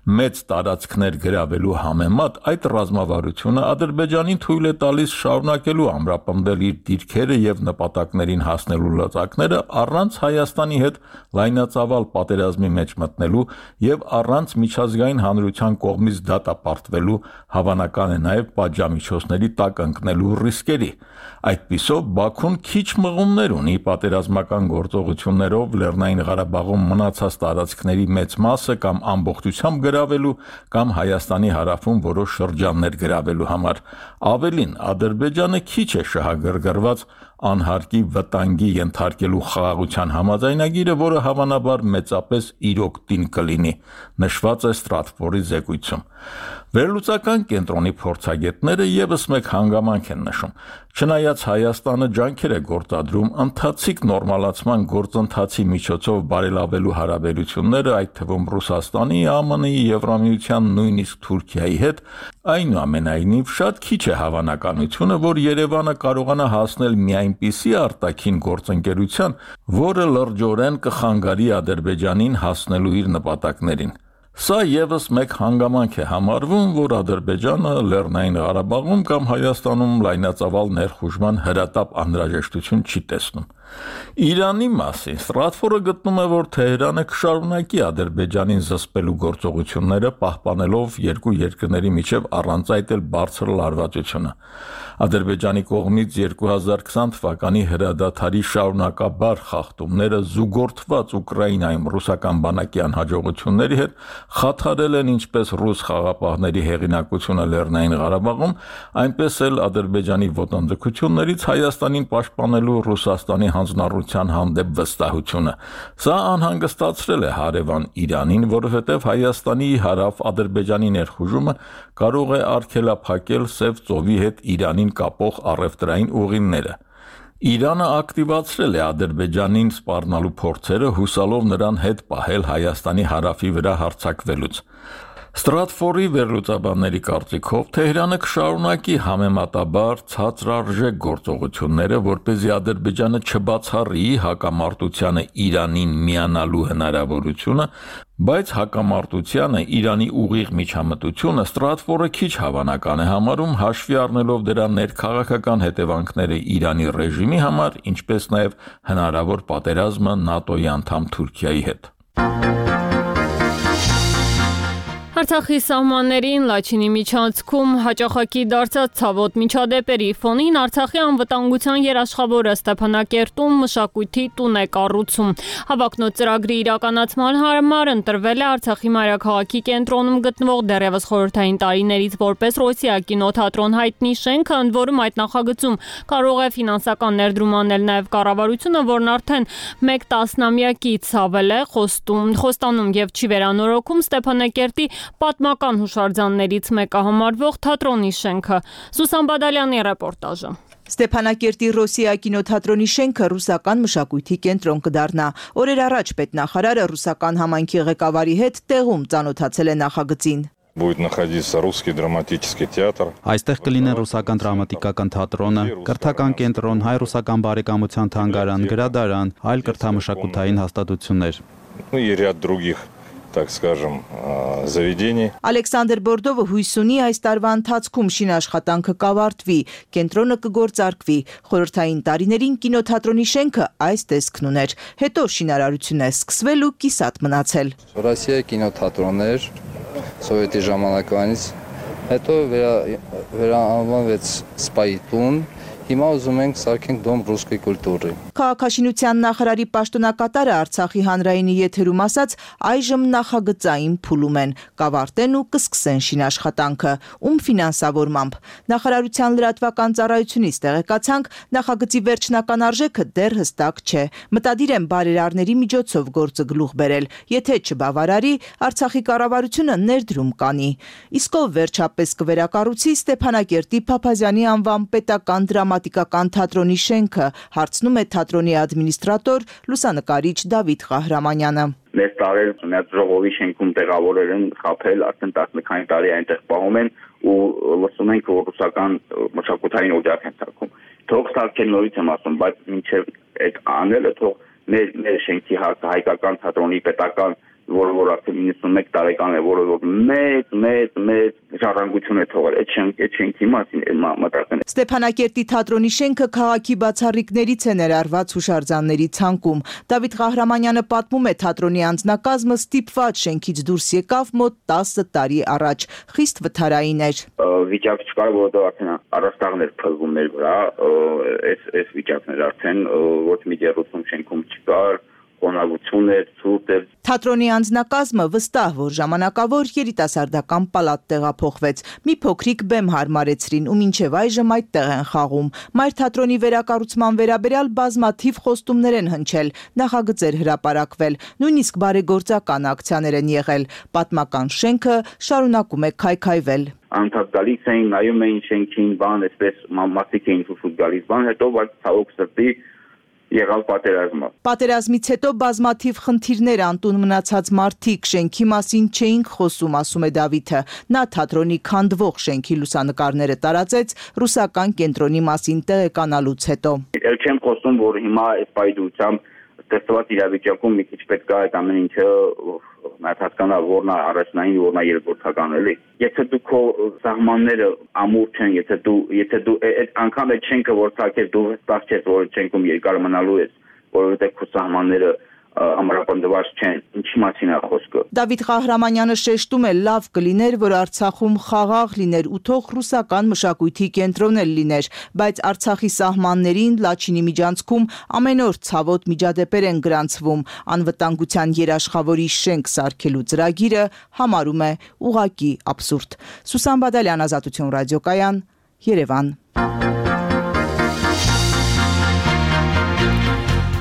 Մեծ տարածքներ գրավելու համեմատ այդ ռազմավարությունը Ադրբեջանին թույլ է տալիս շարունակելու ամրապնդել իր դիրքերը եւ նպատակներին հասնելու լծակները առանց Հայաստանի հետ լայնածավալ պատերազմի մեջ մտնելու եւ առանց միջազգային հանրության կողմից դատապարտվելու, հավանական է նաեւ պատժամիջոցների տակ ընկնելու ռիսկերի։ Այդպիսով Բաքուն քիչ մղումներ ունի պատերազմական գործողություններով Լեռնային Ղարաբաղում մնացած տարածքների մեծ մասը կամ ամբողջությամբ գրավելու կամ Հայաստանի հարավում որոշ շրջաններ գրավելու համար։ Ավելին, Ադրբեջանը քիչ է շահագրգռված անհարկի վտանգի ենթարկելու խաղաղության համաձայնագիրը, որը հավանաբար մեծապես իրոք տին կլինի, նշված է Ստրատֆորդի զեկույցում։ Վերլուծական կենտրոնի փորձագետները եւս մեկ հանգամանք են նշում։ Չնայած Հայաստանը ջանքեր է գործադրում ընթացիկ նորմալացման գործընթացի միջոցով բարելավելու հարաբերությունները, այդ թվում Ռուսաստանի, ԱՄՆ-ի, Եվրամիության, նույնիսկ Թուրքիայի հետ, այնուամենայնիվ շատ քիչ է հավանականությունը, որ Երևանը կարողանա հասնել մի այնպիսի արտաքին գործընկերության, որը լրջորեն կխանգարի Ադրբեջանին հասնելու իր նպատակներին։ Սա եւս մեկ հանգամանք է համարվում, որ Ադրբեջանը Լեռնային Ղարաբաղում կամ Հայաստանում լայնածավալ ներխուժման հրատապ անհրաժեշտություն չի տեսնում։ Իրանի մասին Ստրատֆորդը գտնում է, որ Թեհրանը կշարունակի Ադրբեջանին զսպելու գործողությունները, պահպանելով երկու երկրների միջև առանց այդ էլ բարձր լարվածությունը։ Ադրբեջանի կողմից երկու հազար քսան թվականի հրադադարի շարունակաբար խախտումները զուգորդված Ուկրաինայում ռուսական բանակի անհաջողությունների հետ խաթարել են ինչպես ռուս խաղապահների հեղինակությունը Լեռնային Ղարաբաղում, այնպես էլ Ադրբեջանի ոտնձգություններից Հայաստանին պաշտպանելու Ռուսաստանի հանձնառության հանդեպ վստահությունը։ Սա անհանգստացրել է հարևան Իրանին, որովհետև Հայաստանի հարավ Ադրբեջանի ներխուժումը կարող է արգելափակել Սև ծովի հետ Իրանին կապող առևտրային ուղիները։ Իրանը ակտիվացրել է Ադրբեջանին սպառնալու փորձերը, հուսալով նրան հետ պահել Հայաստանի հարավի վրա հարձակվելուց։ Ստրատֆորդի վերլուծաբանների կարծիքով Թեհրանը կշարունակի համեմատաբար ցածրարժեք գործողությունները, որպեսզի Ադրբեջանը չբացառի հակամարտությանը Իրանին միանալու հնարավորությունը, բայց հակամարտությանը Իրանի ուղիղ միջամտությունը Ստրատֆորդը քիչ հավանական է համարում, հաշվի առնելով դրա ներքաղաքական հետևանքները Իրանի ռեժիմի համար, ինչպես նաև հնարավոր պատերազմը ՆԱՏՕ-ի անդամ Թուրքիայի հետ։ Արցախի սահմաններին Լաչինի միջանցքում հաճախակի դարձած ցավոտ միջադեպերի ֆոնին Արցախի անվտանգության երաշխավորը Ստեփանակերտում մշակույթի տուն է կառուցում։ Հավակնոտ ծրագրի իրականացման համար ընտրվել է Արցախի մայրաքաղաքի կենտրոնում գտնվող դեռևս խորհրդային տարիներից որպես Ռոսիա կինոթատրոն հայտնի շենքը, ընդ որում այդ նախագծում կարող է ֆինանսական ներդրում անել նաև կառավարությունը, որն արդեն մեկ տասնամյակից ավել է խոստում, խոստանում եւ չի վերանորոգում Ստեփանակերտի պատմական հուշարձաններից մեկը համարվող թատրոնի շենքը։ Սուսան Բադալյանի ռեպորտաժը։ Ստեփանակերտի Ռոսիա կինոթատրոնի շենքը ռուսական մշակույթի կենտրոն կդառնա։ Օրեր առաջ պետնախարարը ռուսական համայնքի ղեկավարի հետ տեղում ծանոթացել է նախագծին։ Будет находиться русский драматический театр. Այստեղ կլինեն ռուսական դրամատիկական թատրոնը, կրթական կենտրոն, հայ-ռուսական բարեկամության թանգարան, գրադարան, այլ կրթամշակութային հաստատություններ։ Ну и ряд других, так скажем, заведений. Ալեքսանդր Բորդովը հույս ունի այս տարվա ընթացքում շինաշխատանքը կավարտվի, կենտրոնը կգործարկվի։ Խորհրդային տարիներին կինոթատրոնի շենքը այս տեսքն ուներ։ Հետո շինարարությունն է սկսվել ու կիսատ մնացել։ Ռոսիա կինոթատրոններ սովետի ժամանակվանից հետո վերանվանվեց սպայի տուն, հիմա ուզում ենք սարքենք դոմ ռուսկի կուլտուրի։ Քաղաքաշինության նախարարի պաշտոնակատարը Արցախի հանրայինի եթերում ասաց, այժմ նախագծային փուլում են, կավարտեն ու կսկսեն շինաշխատանքը, ում ֆինանսավորմամբ։ Նախարարության լրատվական ծառայությունից տեղեկացանք, նախագծի վերջնական արժեքը դեռ հստակ չէ։ Մտադիր են բարերարների միջոցով գործը գլուխ բերել, եթե չբավարարի, Արցախի կառավարությունը ներդրում կանի։ Իսկ ով վերջապես կվերակառուցի Ստեփանակերտի Փափազյանի անվան պետական դրամատիկական թատրոնի շենքը, հարցնում է թատրոնի ադմինիստրատոր, լուսանկարիչ Դավիթ Ղահրամանյանը։ Մեծ տարել ունած ժողովի շենքում տեղավորել են, խփել, արդեն տասնմեկ տարի այնտեղ պահում են ու լսում ենք, որ ռուսական մշակութային օջախ են ցակում։ Թող ցակեն նորից եմ ասում, բայց մինչև այդ անելը թող մեր մեր շենքի հայկական թատրոնի պետական, որը որ արդեն իննսունմեկ տարեկան է, որը որ մեծ մեծ մեծ ժառանգություն է թողել այդ շենք այդ շենքի մասին մտածեն։ Ստեփանակերտի թատրոնի շենքը քաղաքի բացառիկներից է ներառված հուշարձանների ցանկում։ Դավիթ Ղահրամանյանը պատմում է, թատրոնի անձնակազմը ստիպված շենքից դուրս եկավ մոտ տասը տարի առաջ, խիստ վթարային էր։ Վիճակ չկար, որովհետև արդեն առաստաղներ փլվում էր վրա, այս այս վիճակներ արդեն ոչ մի դերուսում շենքում չկար, խոնավություն էր, ցուրտ էր։ Թատրոնի անձնակազմը վստահ, որ ժամանակավոր երիտասարդական պալատ տեղափոխվեց։ Մի փոքրիկ բեմ հարմարեցրին ու մինչև այժմ այդտեղ են խաղում։ Մայր թատրոնի վերակառուցման վերաբերյալ բազմաթիվ խոստումներ են հնչել, նախագծեր հրապարակվել, նույնիսկ բարեգործական ակցիաներ են եղել։ Պատմական շենքը շարունակում է քայքայվել։ Անդադ գալիս էին, նայում էին շենքին, բան, այսպես մարդիկ էին ցույց գալիս, բան, հետո բայց ցավոք սրտի եղավ պատերազմը։ Պատերազմից հետո բազմաթիվ խնդիրներ անտուն մնացած մարդիկ շենքի մասին չէին խոսում, ասում է Դավիթը։ Նա թատրոնի քանդվող շենքի լուսանկարները տարածեց ռուսական կենտրոնի մասին տեղեկանալուց հետո։ Էլ չեմ խոսում, որ հիմա այս պայդությամբ ստեղծված իրավիճակում մի քիչ պետք է այդ ամեն ինչը հասկանա, որն է առաջնային, որն է երկրորդական, էլի։ Եթե դու քո սահմանները ամուր չեն, եթե դու եթե դու այդ անգամ այդ շենքը որ ցակես, դու վստահ ես, որ շենքում երկար մնալու ես, որովհետև քո սահմանները ամրապնդված չեն, ինչի մասին է խոսքը։ Դավիթ Ղահրամանյանը շեշտում է, լավ կլիներ, որ Արցախում խաղաղ լիներ ու թող ռուսական մշակույթի կենտրոն էլ լիներ, բայց Արցախի սահմաններին Լաչինի միջանցքում ամեն օր ցավոտ միջադեպեր են գրանցվում, անվտանգության երաշխավորի շենք սարքելու ծրագիրը համարում է ուղղակի աբսուրդ։ Սուսան Բադալյան, Ազատություն ռադիոկայան, Երևան։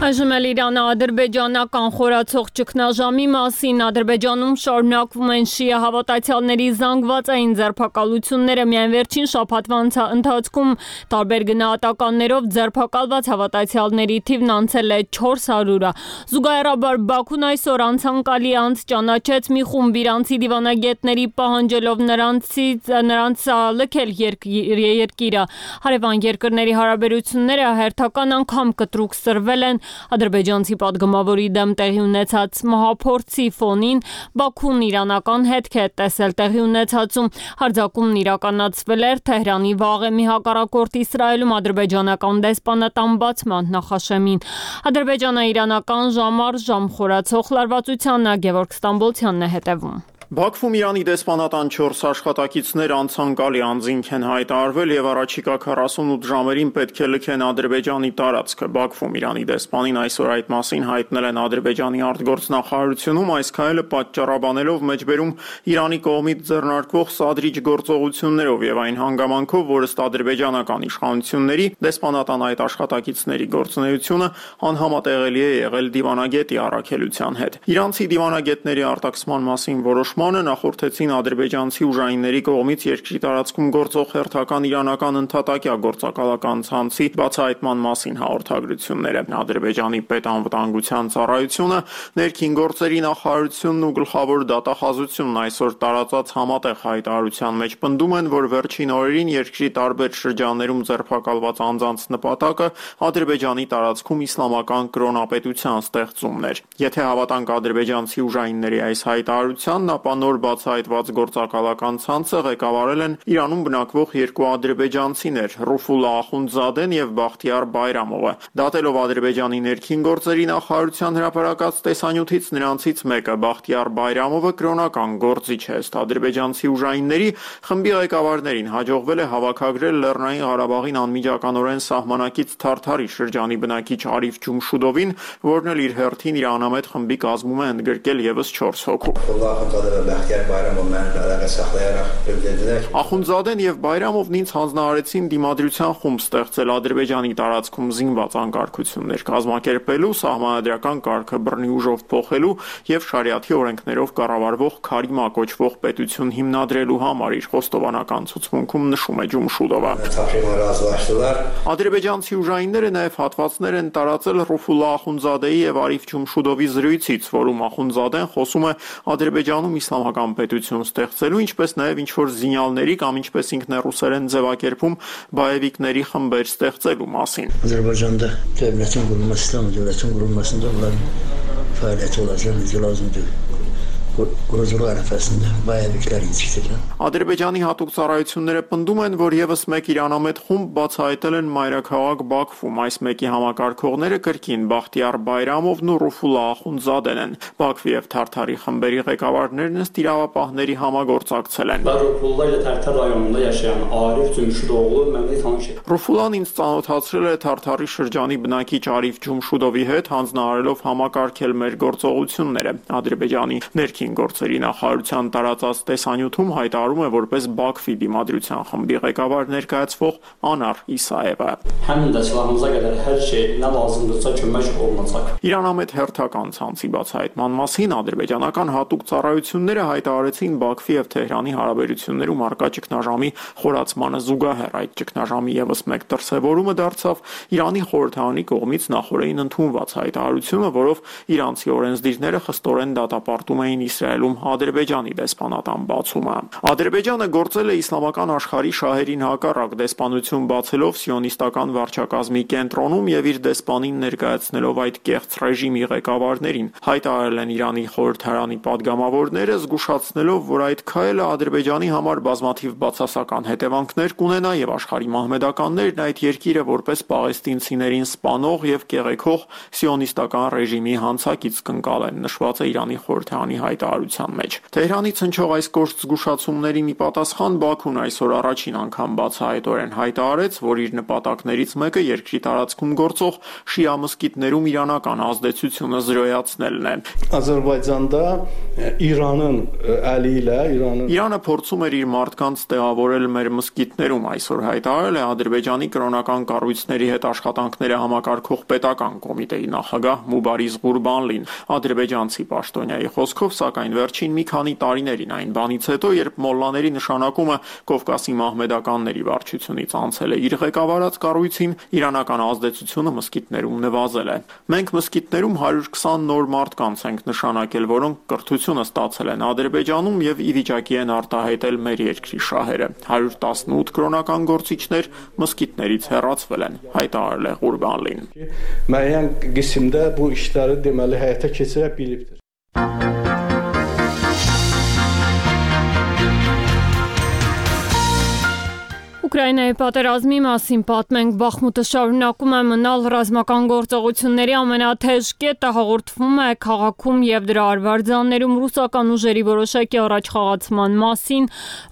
Այժմ էլ Իրանը-ադրբեջանական խորացող ճգնաժամի մասին Ադրբեջանում շարունակվում են շիա հավատացյալների զանգվածային ձերբակալությունները միայն վերջին շաբաթվա ընթացքում տարբեր գնահատականներով ձերբակալված հավատացյալների թիվն անցել է չորս հարյուրը։ Զուգահեռաբար Բաքուն այսօր անցանկալի անց ճանաչեց մի խումբ իրանցի դիվանագետների պահանջելով նրանցից նրանց լքել երկիրը։ Հարևան երկրների հարաբերությունները հերթական անգամ կտրուկ սրվել են ադրբեջանցի պատգամավորի դեմ տեղի ունեցած մահափորձի ֆոնին Բաքուն իրանական հետք է տեսել տեղի ունեցածում հարձակումն իրականացվել էր Թեհրանի Վաղեմի հակառակորդ Իսրայելում ադրբեջանական դեսպանատան բացման նախաշեմին։ Ադրբեջանը իրանական ժամ առ ժամ խորացող լարվածությանը Գևորգ Ստամբոլցյանն է հետևում։ Բաքվում Իրանի դեսպանատան չորս աշխատակիցներ անցանկալի անձինք են հայտարարվել եւ առաջիկա քառասունութ ժամերին պետք է լքեն Ադրբեջանի տարածքը։ Բաքվում Իրանի դեսպանին այսօր այդ մասին հայտնել են Ադրբեջանի արտգործնախարարությունում, այս քայլը պատճառաբանելով մեջբերում Իրանի կողմից ձեռնարկվող սադրիչ գործողություններով եւ այն հանգամանքով, որ ըստ ադրբեջանական իշխանությունների դեսպանատան այդ աշխատակիցների գործունեությունը անհամատեղելի է եղել դիվանագետի առաքելության հետ։ Իրանցի դիվանագետների արտաքսման մասին որոշ նախորդեցին ադրբեջանցի ուժայինների կողմից երկրի տարածքում գործող հերթական իրանական ընդհատակյա գործակալական ցանցի բացահայտման մասին հաղորդագրությունները։ Ադրբեջանի պետանվտանգության ծառայությունը, ներքին գործերի նախարարությունն ու գլխավոր դատախազությունն այսօր տարածած համատեղ հայտարարության մեջ պնդում են, որ վերջին օրերին երկրի տարբեր շրջաններում ձերբակալված անձանց նպատակը Ադրբեջանի տարածքում իսլամական կրոնապետության ստեղծումն էր։ Եթե հավատանք ադրբեջանցի ուժայինների այս հայտարարությանն, ապա նոր բացահայտված գործակալական ցանցը ղեկավարել են Իրանում բնակվող երկու ադրբեջանցիներ՝ Ռուֆուլլա Ախունդզադեն եւ Բախտիար Բայրամովը։ Դատելով Ադրբեջանի ներքին գործերի նախարարության հրապարակած տեսանյութից նրանցից մեկը, Բախտիար Բայրամովը, կրոնական գործիչ է, ըստ ադրբեջանցի ուժայինների խմբի ղեկավարներին հաջողվել է հավաքագրել Լեռնային Ղարաբաղին անմիջականորեն սահմանակից Թարթարի շրջանի բնակիչ Արիֆ Ջումշուդովին, որն էլ իր հերթին իր անամետ խմբի կազմում է ընդգրկել եւս չորս հոգու։ Ախունդզադեն եւ Բայրամովն ինձ հանձնարարեցին դիմադրության խումբ ստեղծել Ադրբեջանի տարածքում զինված անկարգություններ կազմակերպելու, սահմանադրական կարգը բռնի ուժով փոխելու եւ շարիաթի օրենքներով կառավարվող Քարիմա կոչվող պետություն հիմնադրելու համար, իր խոստովանական ցուցմունքում նշում է Ջումշուդովը։ Ադրբեջանցի ուժայինները նաեւ հատվածներ են տարածել Ռուֆուլլա Ախունդզադեի եւ Արիֆ Ջումշուդովի զրույցից, որում Ախունդզադեն խոսում է Ադրբեջանում իսլամական պետություն ստեղծելու, ինչպես նաև ինչ-որ զինյալների կամ ինչպես ինքն է ռուսերեն ձևակերպում բայևիկների խմբեր ստեղծելու մասին։ Ադրբեջանը դեպրեսիոն գումարը իսլամ դեպրեսիոն գումարը դոլար ֆայլը չորացել դիլազում դու Ադրբեջանի հատուկ ծառայությունները պնդում են, որ եւս մեկ իրանամետ խումբ բացահայտել են մայրաքաղաք Բաքվում։ Այս մեկի համակարգողները կրկին Բախտիար Բայրամովն ու Ռուֆուլա Ախունդզադեն են։ Բաքվի եւ Թարթարի խմբերի ղեկավարներն ըստ իրավապահների համագործակցել են։ Ռուֆուլան ինձ ծանոթացրել է Թարթարի շրջանի բնակիչ Արիֆ Ջումշուդովի հետ, հանձնարարելով համակարգել մեր գործողությունները։ Ադրբեջանի ներքին գործերի նախարարության տարածած տեսանյութում հայտարարում է որպես Բաքվի դիմադրության խմբի ղեկավար ներկայացվող Անար Իսաևը։ Իրանամետ հերթական ցանցի բացահայտման մասին ադրբեջանական հատուկ ծառայությունները հայտարարեցին Բաքվի եւ Թեհրանի հարաբերություններում առկա ճգնաժամի խորացմանը զուգահեռ։ Այդ ճգնաժամի եւս մեկ դրսեւորումը դարձավ Իրանի խորհրդարանի կողմից նախորդին ընդունված հայտարարությունը, որով իրանցի օրենսդիրները խստորեն դատապարտում էին Իսրայելում Ադրբեջանի դեսպանատան բացումը։ Ադրբեջանը գործել է իսլամական աշխարհի շահերին հակառակ, դեսպանություն բացելով սիոնիստական վարչակազմի կենտրոնում եւ իր դեսպանին ներկայացնելով այդ կեղծ ռեժիմի ղեկավարներին։ Հայտարարել են Իրանի խորհրդարանի падգամավորները, զգուշացնելով, որ այդ քայլը Ադրբեջանի համար բազմաթիվ բացասական հետևանքներ կունենա եւ աշխարհի մահմեդականներն այդ երկիրը որպես պաղեստինցիներին սպանող եւ կեղեքող սիոնիստական ռեժիմի հանցակից կընկալեն, նշված է Իրանի խորհրդարանի հայտարարության մեջ։ Թեհրանից հնչող այս կոշտ զգուշացումների մի պատասխան Բաքուն այսօր առաջին անգամ բացահայտորեն հայտարարեց, որ իր նպատակներից մեկը երկրի տարածքում գործող շիա մզկիթներում իրանական ազդեցությունը զրոյացնելն է։ Ադրբեջանը Իրանն ալիլա Իրանը Իրանը փորձում էր իր մարդկանց տեղավորել մեր մզկիթներում, այսօր հայտարարել է Ադրբեջանի կրոնական կառույցների հետ աշխատանքները համակարգող պետական կոմիտեի նախագահ Մուբարիզ Ղուրբանլին։ Ադրբեջանցի պաշտոնյայի խոսքով, սակայն վերջին մի քանի տարիներին այն բանից հետո, երբ մոլլաների նշանակումը Կովկասի մահմեդականների վարչությունից անցել է իր ղեկավարած կառույցին, իրանական ազդեցությունը մզկիթներում նվազել է։ Մենք մզկիթներում հարյուր քսան նոր մարդկանց ենք նշանակել, որոնք կրթությունը ստացել են Ադրբեջանում եւ ի վիճակի են արտահայտել մեր երկրի շահերը։ հարյուր տասնութ կրոնական գործիչներ մզկիթներից հեռացվել են, հայտարարել է Ղուրբանլին։ Müəyyən qismdə bu işləri deməli həyata keçirə bilibdir։ Ուկրաինայի պատերազմի մասին պատմենք, Բախմուտը շարունակում է մնալ ռազմական գործողությունների ամենաթեժ կետը, հաղորդվում է քաղաքում եւ դրա արվարձաններում ռուսական ուժերի որոշակի առաջխաղացման մասին։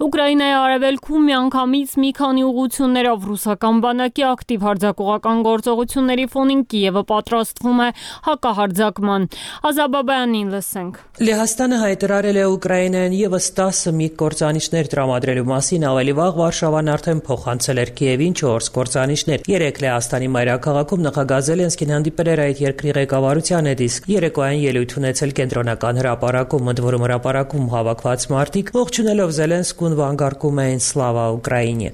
Ուկրաինայի արևելքում միանգամից մի քանի ուղղություններով ռուսական բանակի ակտիվ հարձակողական գործողությունների ֆոնին Կիևը պատրաստվում է հակահարձակման։ Ազաբաբյանին լսենք։ Լեհաստանը հայտարարել է Ուկրաինային եւս տասը միգ կործանիչներ տրամադրելու մասին, ավելի վաղ Վարշավան արդեն փոխանցել էր Կիևին չորս կործանիչներ։ Երեկ Լեհաստանի մայրաքաղաքում նախագահ Զելենսկին հանդիպել էր այդ երկրի ղեկավարության հետ, իսկ երեկոյան ելույթ ունեցել կենտրոնական հրապարակում, ընդ որում հրապարակում հավաքված մարդիկ ողջունելով Զելենսկուն վանկարկում էին «Սլավա Ուկրաինե»։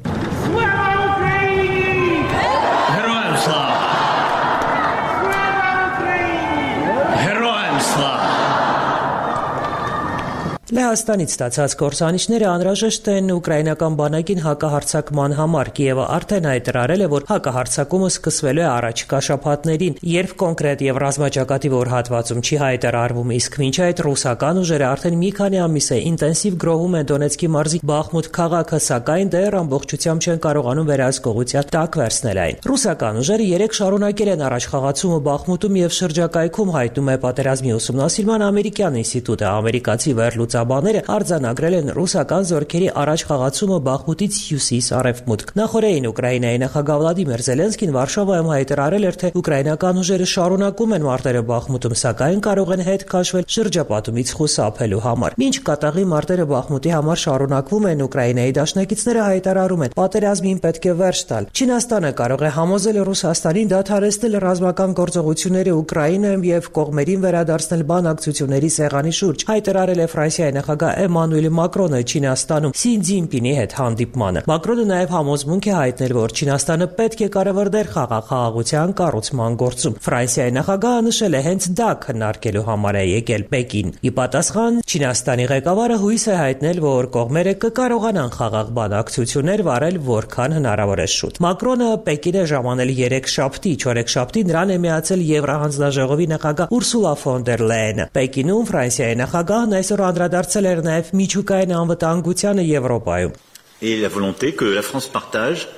Լեհաստանից ստացած կործանիչները անհրաժեշտ են ուկրաինական բանակին հակահարձակման համար։ Կիևը արդեն հայտարարել է, որ հակահարձակումը սկսվելու է առաջիկա շաբաթներին, երբ կոնկրետ եւ ռազմաճակատի որ հատվածում չի հայտարարվում, իսկ մինչ այդ ռուսական ուժերը արդեն մի քանի ամիս է ինտենսիվ գրոհում են Դոնեցկի մարզի Բախմուտ քաղաքը, սակայն դեռ ամբողջությամբ չեն կարողանում վերահսկողության տակ վերցնել այն։ Ռուսական ուժերը երեք շարունակել են առաջխաղացումը Բախմուտում եւ շրջակայքում, հայտնում է Պատերազմի ուսումնասիրման ամերիկյան ինստիտուտը։ Ամերիկացի վերլուծաբանները արձանագրել են ռուսական զորքերի առաջխաղացումը Բախմուտից հյուսիս-արևմուտք։ Նախորդին Ուկրաինայի նախագահ Վլադիմիր Զելենսկին Վարշավայում հայտարարել էր, թե ուկրաինական ուժերը շարունակում են մարտերը Բախմուտում, սակայն կարող են հետ քաշվել շրջապատումից խուսափելու համար։ Մինչ կատաղի մարտերը Բախմուտի համար շարունակվում են, Ուկրաինայի դաշնակիցները հայտարարում են, պատերազմին պետք է վերջ տալ։ Չինաստանը կարող է համոզել Ռուսաստանին դադարեցնել ռազմական գործողությունները Ուկրաինայում եւ կողմերին վերադարձնել բանակցությունների սեղանի շուրջ, հայտարարել է Ֆրանսիայի նախագահ Էմանուել Մակրոնը Չինաստանում Սի Ցզինպինի հետ հանդիպմանը։ Մակրոնը նաև համոզմունք է հայտնել, որ Չինաստանը պետք է կառավար դեր խաղա խաղաղության կառուցման գործում։ Ֆրանսիայի նախագահը նշել է հենց դա քննարկելու համար է եկել Պեկին։ Ի պատասխան Չինաստանի ղեկավարը հույս է հայտնել, որ կողմերը կկարողանան խաղաղ բանակցություններ վարել որքան հնարավոր է շուտ։ Մակրոնը Պեկին է ժամանել երեքշաբթի, չորեքշաբթի նրան է միացել Եվրահանձնաժողովի նախագահ Ուրսուլա ֆոն դեր Լայենը։ Պեկինում Ֆրանսիայի նախագահն այսօր անդրադարձել էր նաև միջուկային անվտանգությանը Եվրոպայում։ Et la volonté que la France partage,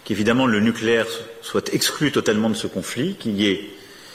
qu'évidemment le nucléaire soit exclu totalement de ce conflit, qu'il y ait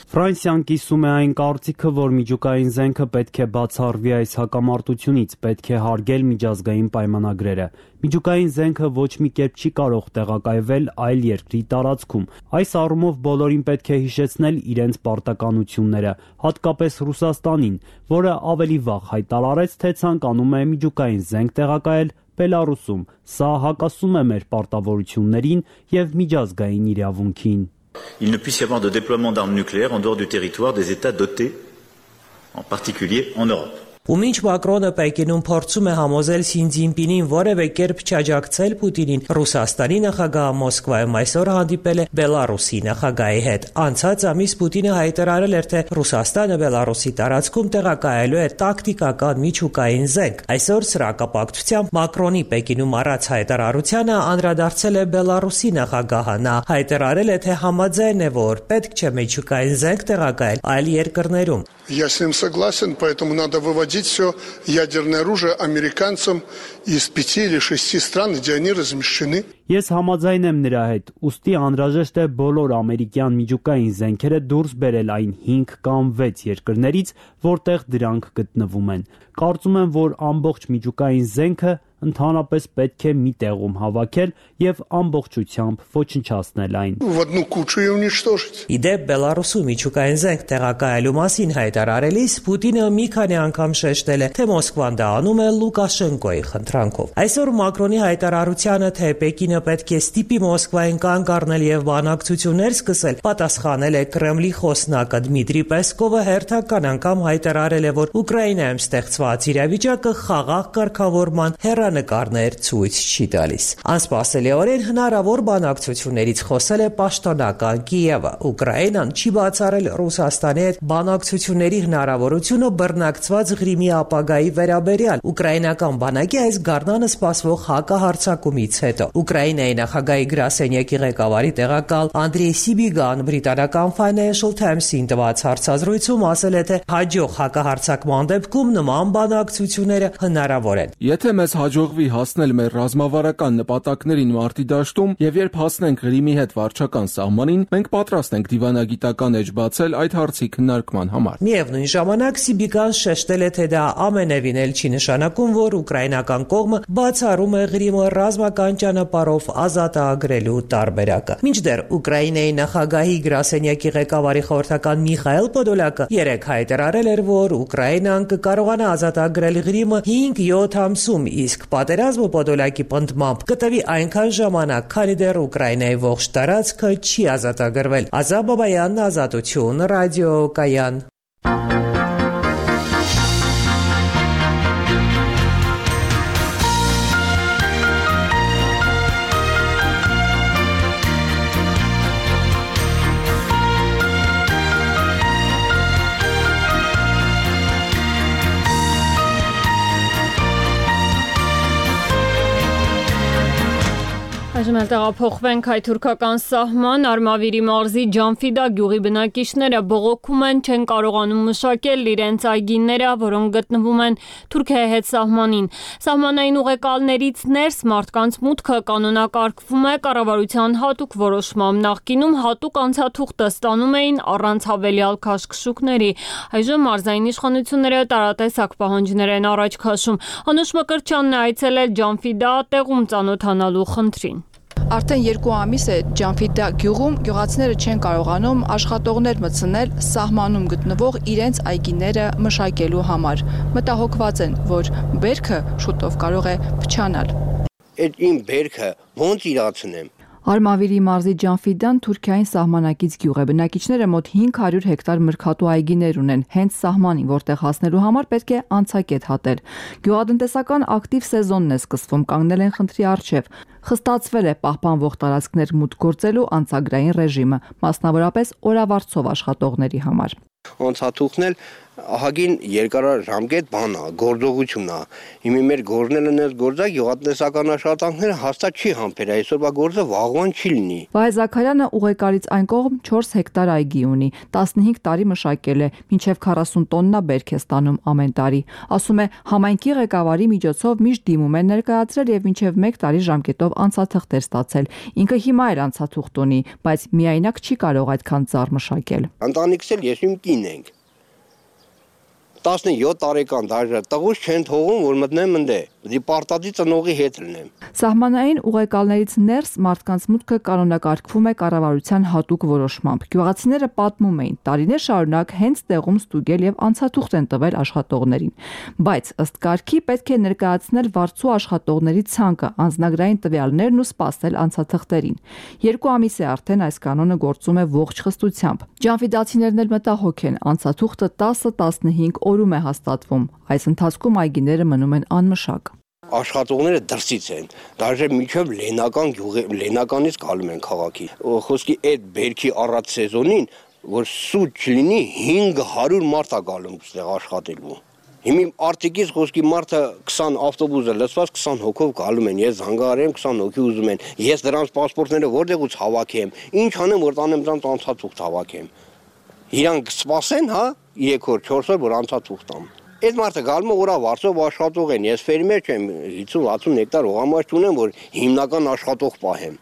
Ֆրանսիան կիսում է այն կարծիքը, որ միջուկային զենքը պետք է բացառվի այս հակամարտությունից, պետք է հարգել միջազգային պայմանագրերը։ Միջուկային զենքը ոչ մի կերպ չի կարող տեղակայվել այլ երկրի տարածքում։ Այս առումով բոլորին պետք է հիշեցնել իրենց պարտականությունները, հատկապես Ռուսաստանին, որը ավելի վաղ հայտարարեց, թե ցանկանում է միջուկային զենք տեղակայել Բելարուսում։ Սա հակասում է մեր պարտավորություններին եւ միջազգային իրավունքին։ Il ne puisse y avoir de déploiement d'armes nucléaires en dehors du territoire des États dotés, en particulier en Europe. Ու մինչ Մակրոնը Պեկինում փորձում է համոզել Սի Ցզինպինին որևէ կերպ չաջակցել Պուտինին, Ռուսաստանի նախագահը Մոսկվայում այսօր հանդիպել է Բելարուսի նախագահի հետ։ Անցած ամիս Պուտինը հայտարարել էր, թե Ռուսաստանը Բելարուսի տարածքում տեղակայելու է տակտիկական միջուկային զենք։ Այսօր սրա կապակցությամբ Մակրոնի Պեկինում առած հայտարարությանը անդրադարձել է Բելարուսի նախագահը։ Նա հայտարարել է, թե համաձայն է, որ պետք չէ միջուկային զենք տեղակայել այլ երկրներում։ Я с ним согласен, поэтому надо выводить все ядерное оружие американцам из пяти или шести стран, где они размещены. Ես համաձայն եմ նրա հետ, ուստի անհրաժեշտ է բոլոր ամերիկյան միջուկային զենքերը դուրս բերել այն հինգ կամ վեց երկրներից, որտեղ դրանք գտնվում են։ Կարծում եմ, որ ամբողջ միջուկային զենքը ընդհանրապես պետք է մի տեղում հավաքել եւ ամբողջությամբ ոչնչացնել այն։ В одну кучу и уничтожить. Իդեպ Բելարուսում միջուկային զենք տեղակայելու մասին հայտարարելիս Պուտինը մի քանի անգամ շեշտել է, թե Մոսկվան դա անում է Լուկաշենկոյի խնդրանքով։ Այսօր Մակրոնի հայտարարությանը, թե Պեկինը պետք է ստիպի Մոսկվային կանգ առնել եւ բանակցություններ սկսել, պատասխանել է Կրեմլի խոսնակը Դմիտրի Պեսկովը հերթական անգամ հայտարարել է, որ Ուկրաինայում ստեղծված իրավիճակը խաղաղ կարգավորման հեռանկարներ ցույց չի տալիս։ Անսպասելիորեն հնարավոր բանակցություններից խոսել է պաշտոնական Կիևը։ Ուկրաինան չի բացառել Ռուսաստանի հետ բանակցությունների հնարավորությունը բռնակցված Ղրիմի ապագայի վերաբերյալ ուկրաինական բանակի այս գարնանը սպասվող հակահարձակումից հետո։ Ուկրաինայի նախագահի գրասենյակի ղեկավարի տեղակալ Անդրեյ Սիբիգան բրիտանական Financial Times-ին տված հարցազրույցում ասել է, թե հաջող հակահարձակման դեպքում նման բանակցությունները հնարավոր են։ Եթե մեզ հաջողվի հասնել մեր ռազմավարական նպատակներին մարտի դաշտում եւ երբ հասնենք Ղրիմի հետ վարչական սահմանին, մենք պատրաստ ենք դիվանագիտական էջ բացել այդ հարցի քննարկման համար։ Միևնույն ժամանակ Սիբիգան շեշտել է, թե դա ամենևին էլ չի նշանակում, որ ուկրաինական կողմը բացառում է Ղրիմը ռազմական ճանապարհով ազատագրելու տարբերակը։ Մինչդեռ Ուկրաինայի նախագահի գրասենյակի ղեկավարի խորհրդական Միխայել Պոդոլյակը երեկ հայտարարել էր, որ Ուկրաինան կկարողանա ազատագրել Ղրիմը հինգ-յոթ ամսում, իսկ պատերազմը Պոդոլյակի պնդմամբ կտևի այնքան ժամանակ, քանի դեռ Ուկրաինայի ողջ տարածքը չի ազատագրվել։ Ազատ Բաբայան, Ազատություն, ռադիոկայան։ Այժմ էլ տեղափոխվենք հայ-թուրքական սահման, Արմավիրի մարզի Ջանֆիդա գյուղի բնակիչները բողոքում են, չեն կարողանում մշակել իրենց այգիները, որոնք գտնվում են Թուրքիայի հետ սահմանին։ Սահմանային ուղեկալներից ներս մարդկանց մուտքը կանոնակարգվում է կառավարության հատուկ որոշմամբ։ Նախկինում հատուկ անցաթուղթը ստանում էին առանց հավելյալ քաշքշուկների։ Այժմ մարզային իշխանությունները տարատեսակ պահանջներ են առաջ քաշում։ Անուշ Մկրտչյանն է այցելել Ջանֆիդա տեղում ծանոթանալու խնդրին։ Արդեն երկու ամիս է Ջանֆիդա գյուղում գյուղացիները չեն կարողանում աշխատողներ մտցնել սահմանում գտնվող իրենց այգիները մշակելու համար։ Մտահոգված են, որ բերքը շուտով կարող է փչանալ։ Այդ իմ բերքը ոնց իրացնեմ։ Արմավիրի մարզի Ջանֆիդան Թուրքիային սահմանակից գյուղ է։ Բնակիչները մոտ հինգ հարյուր հեկտար մրգատու այգիներ ունեն, հենց սահմանին, որտեղ հասնելու համար պետք է անցակետ հատել։ Գյուղատնտեսական ակտիվ սեզոնն է սկսվում, կանգնել են խնդրի առջև։ Խստացվել է պահպանվող տարածքներ մուտք գործելու անցագրային ռեժիմը, մասնավորապես օրավարձով աշխատողների համար։ Անցաթուխն էլ ահագին երկարաժամկետ բան է, գործողություն է։ Հիմա մեր գործն են այս գործը գյուղատնտեսական աշխատանքները հաստատ չի համբեր, այսօրվա գործը վաղվան չի լինի։ Վահե Զաքարյանը ուղեկարից այն կողմ չորս հեկտար այգի ունի, տասնհինգ տարի մշակել է, մինչև քառասուն տոննա բերք է ստանում ամեն տարի։ Ասում է, համայնքի ղեկավարի միջոցով միշտ դիմում են ներկայացրել եւ մինչև մեկ տարի ժամկետով անցաթղթեր ստացել։ Ինքը հիմա էլ անցաթուղթ ունի, բայց միայնակ չի կարող այդքան ծառ մշակել։ Ընտանիքս էլ ես իմ կին ենք։ տասնյոթ տարեկան դաժե տղուս չեն թողում, որ մտնեմ ընդե, դի պարտադի ծնողի հետ լինեմ։ Սահմանային ուղեկալներից ներս մարդկանց մուտքը կանոնակարգվում է կառավարության հատուկ որոշմամբ։ Գյուղացիները պատմում էին, տարիներ շարունակ հենց տեղում ստուգել եւ անցաթուղթ են տվել աշխատողներին։ Բայց ըստ կարգի պետք է ներկայացնել վարձու աշխատողների ցանկը, անձնագրային տվյալներն ու սպասել անցաթղթերին։ Երկու ամիս է արդեն այս կանոնը գործում է ողջ խստությամբ։ Ջանֆիդացիներն էլ մտահոգ են, անցաթուղթը տասը տասնհինգ օրում է հաստատվում։ Այս ընթացքում այգիները մնում են անմշակ։ Աշխատողները դրսից են, դաժե միջև լենական գյուղի լենականից գալում են քաղաքի։ Խոսքի այդ բերքի առած սեզոնին, որ սուտ չլինի, հինգ հարյուր մարդ է գալում այստեղ աշխատելու։ Հիմա արտիկից խոսքի մարդը քսան ավտոբուսը լցված քսան հոգով գալում են, ես զանգահարեմ քսան հոգի ուզում են։ Ես դրանց պասպորտները որտեղից հավաքեմ, ինչ անեմ, որ տանեմ դրանց անցաթուղթ հավաքեմ։ Իրանք սպասեն, հա, երեք օր, չորս օր, որ անցաթուղթ տամ։ Այդ մարդը գալու է օրավարձով աշխատող են, ես ֆերմեր չեմ, հիսուն հասուն հեկտար հողամաշ չունեմ, որ հիմնական աշխատող պահեմ,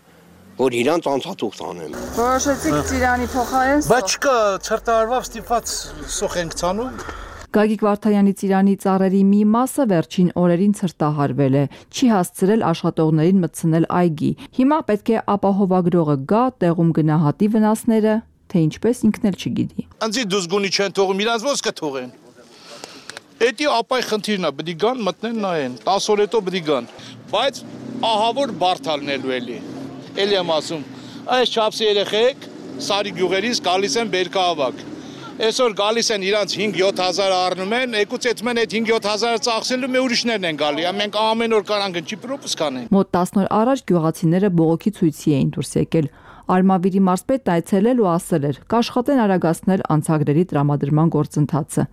որ իրանց անցաթուղթ անեմ։ Որոշեցիք ծիրանի փոխարեն։ Բայց չկա, ցրտարվավ ստիպված սոխ ենք ցանում։ Գագիկ Վարդանյանի ծիրանի ծառերի մի մասը վերջին օրերին ցրտահարվել է, չի հասցրել աշխատողներին մտցնել այգի։ Հիմա պետք է ապահովագրողը գա, տեղում գնահատի վնասները, թե ինչպես ինքն էլ չգիտի։ Անձի դուսգունի չեն թողում, իրանց ոնց կթողեն։ Էդի ապայ խնդիրն է, բդի գան մտնեն նայեն, տասը օր հետո բդի գան։ Բայց ահավոր բարդ ալնելու էլի։ Էլի եմ ասում, այս չափսի երեխեք Սարի գյուղերից գալիս են բերքահավաք։ Այսօր գալիս են իրանց հինգ-յոթ հազար առնում են, եկուց այդ մեն այդ հինգ-յոթ հազարը ծախսելու մի ուրիշներն են գալի, մենք ամեն օր կարան գնչի պրոպս կանեն։ Մոտ տասն օր առաջ գյուղացիները բողոքի ցույցի էին դուրս եկել։ Արմավիրի մարզպետն այցելել ու ասել էր, կաշխատեն արագացնել անցագրերի տրամադրման գործընթացը։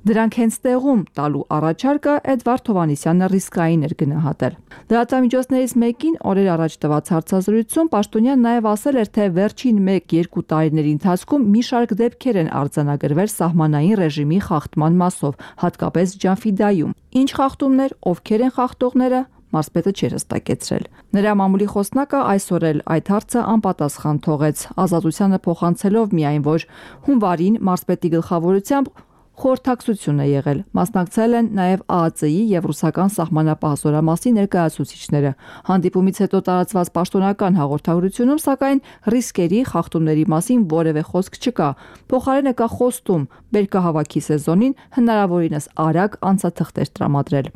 Դրանք հենց տեղում տալու առաջարկը Էդվարդ Հովհաննիսյանը ռիսկային էր գնահատել։ Լրատվամիջոցներից մեկին օրեր առաջ տված հարցազրույցում Պաշտոնյան նաև ասել էր, թե վերջին մեկ-երկու տարիների ընթացքում մի շարք դեպքեր են արձանագրվել սահմանային ռեժիմի խախտման մասով, հատկապես Ջանֆիդայում։ Ինչ խախտումներ, ովքեր են խախտողները, մարզպետը չէր հստակեցրել։ Նրա մամուլի խոսնակը այսօր էլ այդ հարցը անպատասխան թողեց, ազատությանը փոխանցելով միայն, որ հունվարին մարզպետի գլխավորությամբ խորհրդակցություն է եղել։ Մասնակցել են նաև Ա Ա Ծ-ի եւ ռուսական սահմանապահ զորամասի ներկայացուցիչները։ Հանդիպումից հետո տարածված պաշտոնական հաղորդագրությունում, սակայն ռիսկերի, խախտումների մասին որևէ խոսք չկա։ Փոխարենը կա խոստում բերքահավաքի սեզոնին հնարավորինս արագ անցաթղթեր տրամադրել։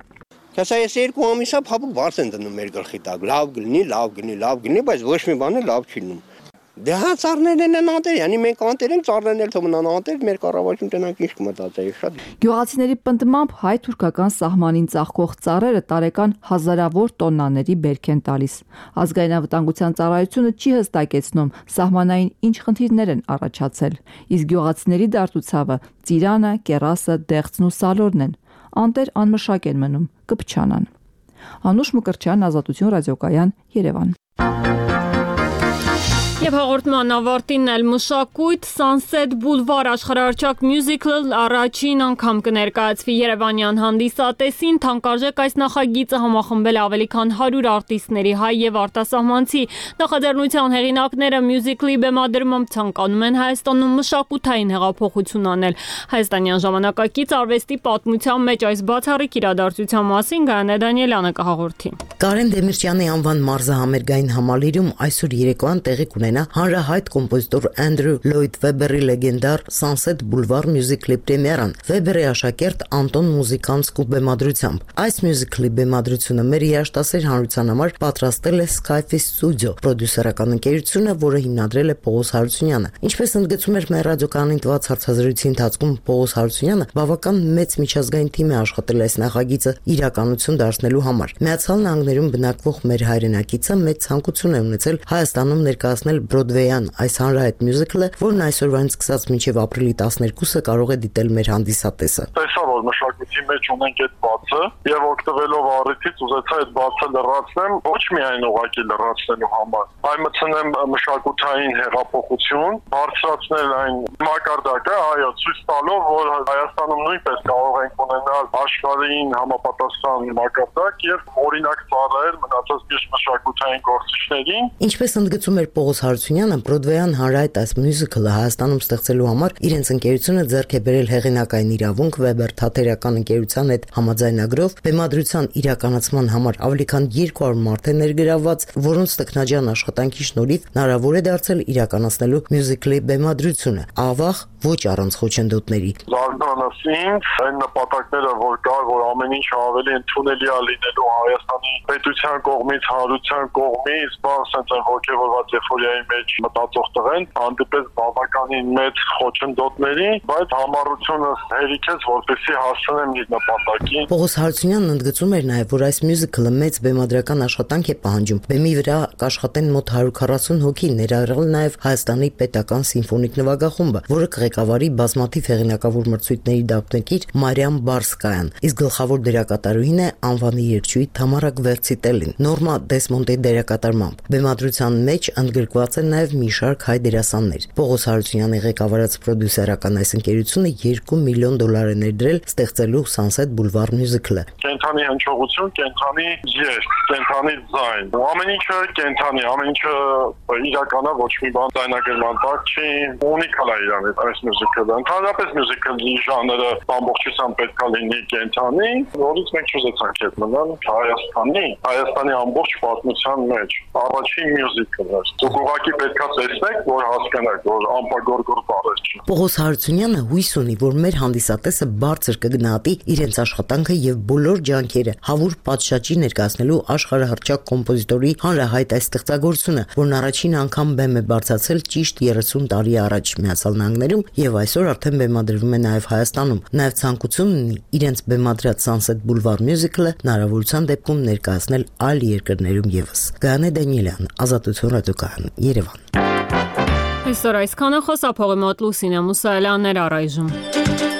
Կասա ես երկու ամիսա փափուկ բարձ են դնում մեր գլխի տակ, լավ գնի, լավ գնի, լավ գնի, բայց ոչ մի բան լավ չի լինում։ Դե հա ծառներն են անտեր, yani մենք անտեր ենք, ծառներն էլ թողնան անտեր, մեր կառավարություն տնանք ինչ կմտածեի շատ։ Գյուղացիների պնդմամբ հայ-թուրքական սահմանին ծաղկող ծառերը տարեկան հազարավոր տոննաների բերք են տալիս։ Ազգային անվտանգության ծառայությունը չի հստակեցնում սահմանային ինչ խնդիրներ են առաջացել, իսկ գյուղացիների դարտուցավը ծիրանը, կեռասը, դեղցն ու սալորն են։ Անտեր անմշակ են մնում, կփչանան։ Անուշ Մկրտչյան, Ազատություն ռադիոկայան, Երևան։ Եվ հաղորդման ավարտին էլ մշակույթ Sunset Boulevard աշխարհարչակ մյուզիկլ առաջին անգամ կներկայացվի Երևանյան հանդիսատեսին, թանկարժեք այս նախագիծը համախմբել ավելի քան հարյուր արտիստների հայ եւ արտասահմանցի։ Նախաձեռնության հեղինակները մյուզիկլի բեմադրմամբ ցանկանում են Հայաստանում մշակութային հեղափոխություն անել։ Հայաստանյան ժամանակակից արվեստի պատմության մեջ այս բացառիկ իրադարձության մասին Գայանե Դանիելյանը կհաղորդի։ Կարեն Դեմիրճյանի անվան մարզահամերգային համալիրում այսօր երեկոյան տեղի կունենա ամենա հանրահայտ կոմպոզիտոր Անդրյու Լոյդ Վեբերի լեգենդար Sunset Boulevard մյուզիկլի պրեմիերան Վեբերի աշակերտ Անտոն Մուզիկանսկու բեմադրությամբ։ Այս մյուզիկլի բեմադրությունը մեր երաժշտասեր հանրության համար պատրաստել է Skyfish Studio, պրոդյուսերական ընկերությունը, որը հիմնադրել է Պողոս Հարությունյանը։ Ինչպես ընդգծում էր մեր ռադիոկայանին տված հարցազրույցի ընթացքում Պողոս Հարությունյանը, բավական մեծ միջազգային թիմ է աշխատել այս նախագիծը իրականություն դարձնելու համար։ Միացյալ Նահանգներում բնակվող մեր հայրենակիցը մեծ ցանկություն է ունեցել Հայաստանում ներկայացնել Բրոդվեյան այս հանրահայտ մյուզիկլը, որն այսօրվանից սկսած մինչև ապրիլի տասներկուսը կարող է դիտել մեր հանդիսատեսը։ Տեսա, որ մշակույթի մեջ ունենք այդ բացը եւ օգտվելով առիթից ուզեցա այդ բացը լրացնեմ, ոչ միայն ուղղակի լրացնելու համար, այլ մտցնեմ մշակութային հեղափոխություն, բարձրացնել այն մակարդակը, այո, ցույց տալով, որ Հայաստանում նույնպես կարող ենք ունենալ աշխարհին համապատասխան մակարդակ եւ օրինակ ծառայել մնացած միշտ մշակութային գործիչներին։ Ինչպես ընդգծում էր Պողոս Հարությունյանը, Բրոդվեյան հանրահայտ այս մյուզիկլը Հայաստանում ստեղծելու համար իրենց ընկերությունը ձեռք է բերել հեղինակային իրավունք Weber թատերական ընկերության հետ համաձայնագրով բեմադրության իրականացման համար ավելի քան երկու հարյուր մարդ է ներգրավված, որոնց տեխնաջան աշխատանքի շնորհիվ հնարավոր է դարձել իրականացնելու մյուզիկլի բեմադրությունը, ավաղ ոչ առանց խոչընդոտների։ Զարմանաս ինձ այն նպատակները, որ կար, որ ամեն ինչ ավելի ընդունելի է լինելու Հայաստանի պետության կողմից, հանրության կողմից, բան ասած այն ոգևորված էֆորիայի մեջ մտածող տղեն, հանդիպես բավականին մեծ խոչընդոտների, բայց համառությունը հերիքեց, որպեսզի հասնեմ իր նպատակին։ Պողոս Հարությունյանն ընդգծում էր նաև, որ այս մյուզիկլը մեծ բեմադրական աշխատանք է պահանջում։ Բեմի վրա կաշխատեն մոտ հարյուր քառասուն հոգի, ներառյալ նաև Հայաստանի պետական սիմֆոնիկ նվագախումբը, որը կղեկավարի բազմաթիվ հեղինակավոր մրցույթների դափնեկիր Մարիամ Բարսկայան, իսկ գլխավոր դերակատարուհին է անվանի երգչուհի Թամարա Գվերցիտելին, Նորմա Դեսմոնդի դերակատարմամբ։ Բեմադրության մեջ ընդգրկված են նաև մի շարք հայ դերասաններ։ Պողոս Հարությունյանի ղեկավարած պրոդյուսերական այս ընկերությունը երկու միլիոն դոլար է ներդրել ստեղծելու Sunset Boulevard մյուզիկլը։ Կենթանի հնչողություն, կենթանի երգ, կենթանի ձայն, ամեն ինչը կենթանի, ամեն ինչը իրականա, ոչ մի բան ձայնագրման տակ չի, ունիկալ է իրան այս մյուզիկլը։ Ընդհանրապես մյուզիկլի ժանրը ամբողջությամբ պետք է լինի կենթանի, որից մենք չուզեցանք հետ մնալ Հայաստանի, Հայաստանի ամբողջ պատմության մեջ առաջին մյուզիկլն էր։ Դուք ուղղակի պետք է տեսնեք, որ հասկանաք, որ ամպագորգոր բառեր չի։ Պողոս Հարությունյանը հույս ունի, որ մեր հանդիսատեսը բարձր կգնահատի իրենց աշխատանքը եւ բոլոր ջանքերը հավուր պատշաճի ներկայացնելու աշխարհահռչակ կոմպոզիտորի հանրահայտ այս ստեղծագործությունը, որն առաջին անգամ բեմ է բարձրացել ճիշտ երեսուն տարի առաջ Միացյալ Նահանգներում եւ այսօր արդեն բեմադրվում է նաեւ Հայաստանում։ Նաեւ ցանկություն ունի իրենց բեմադրած Sunset Boulevard մյուզիկլը հնարավորության դեպքում ներկայացնել այլ երկրներում եւս։ Գայանե Դանիելյան, Ազատություն ռադիոկայան, Երևան։ Այսօր այսքանը, խոսափողի մոտ Լուսինե Մուսայելյաններ առայժմ։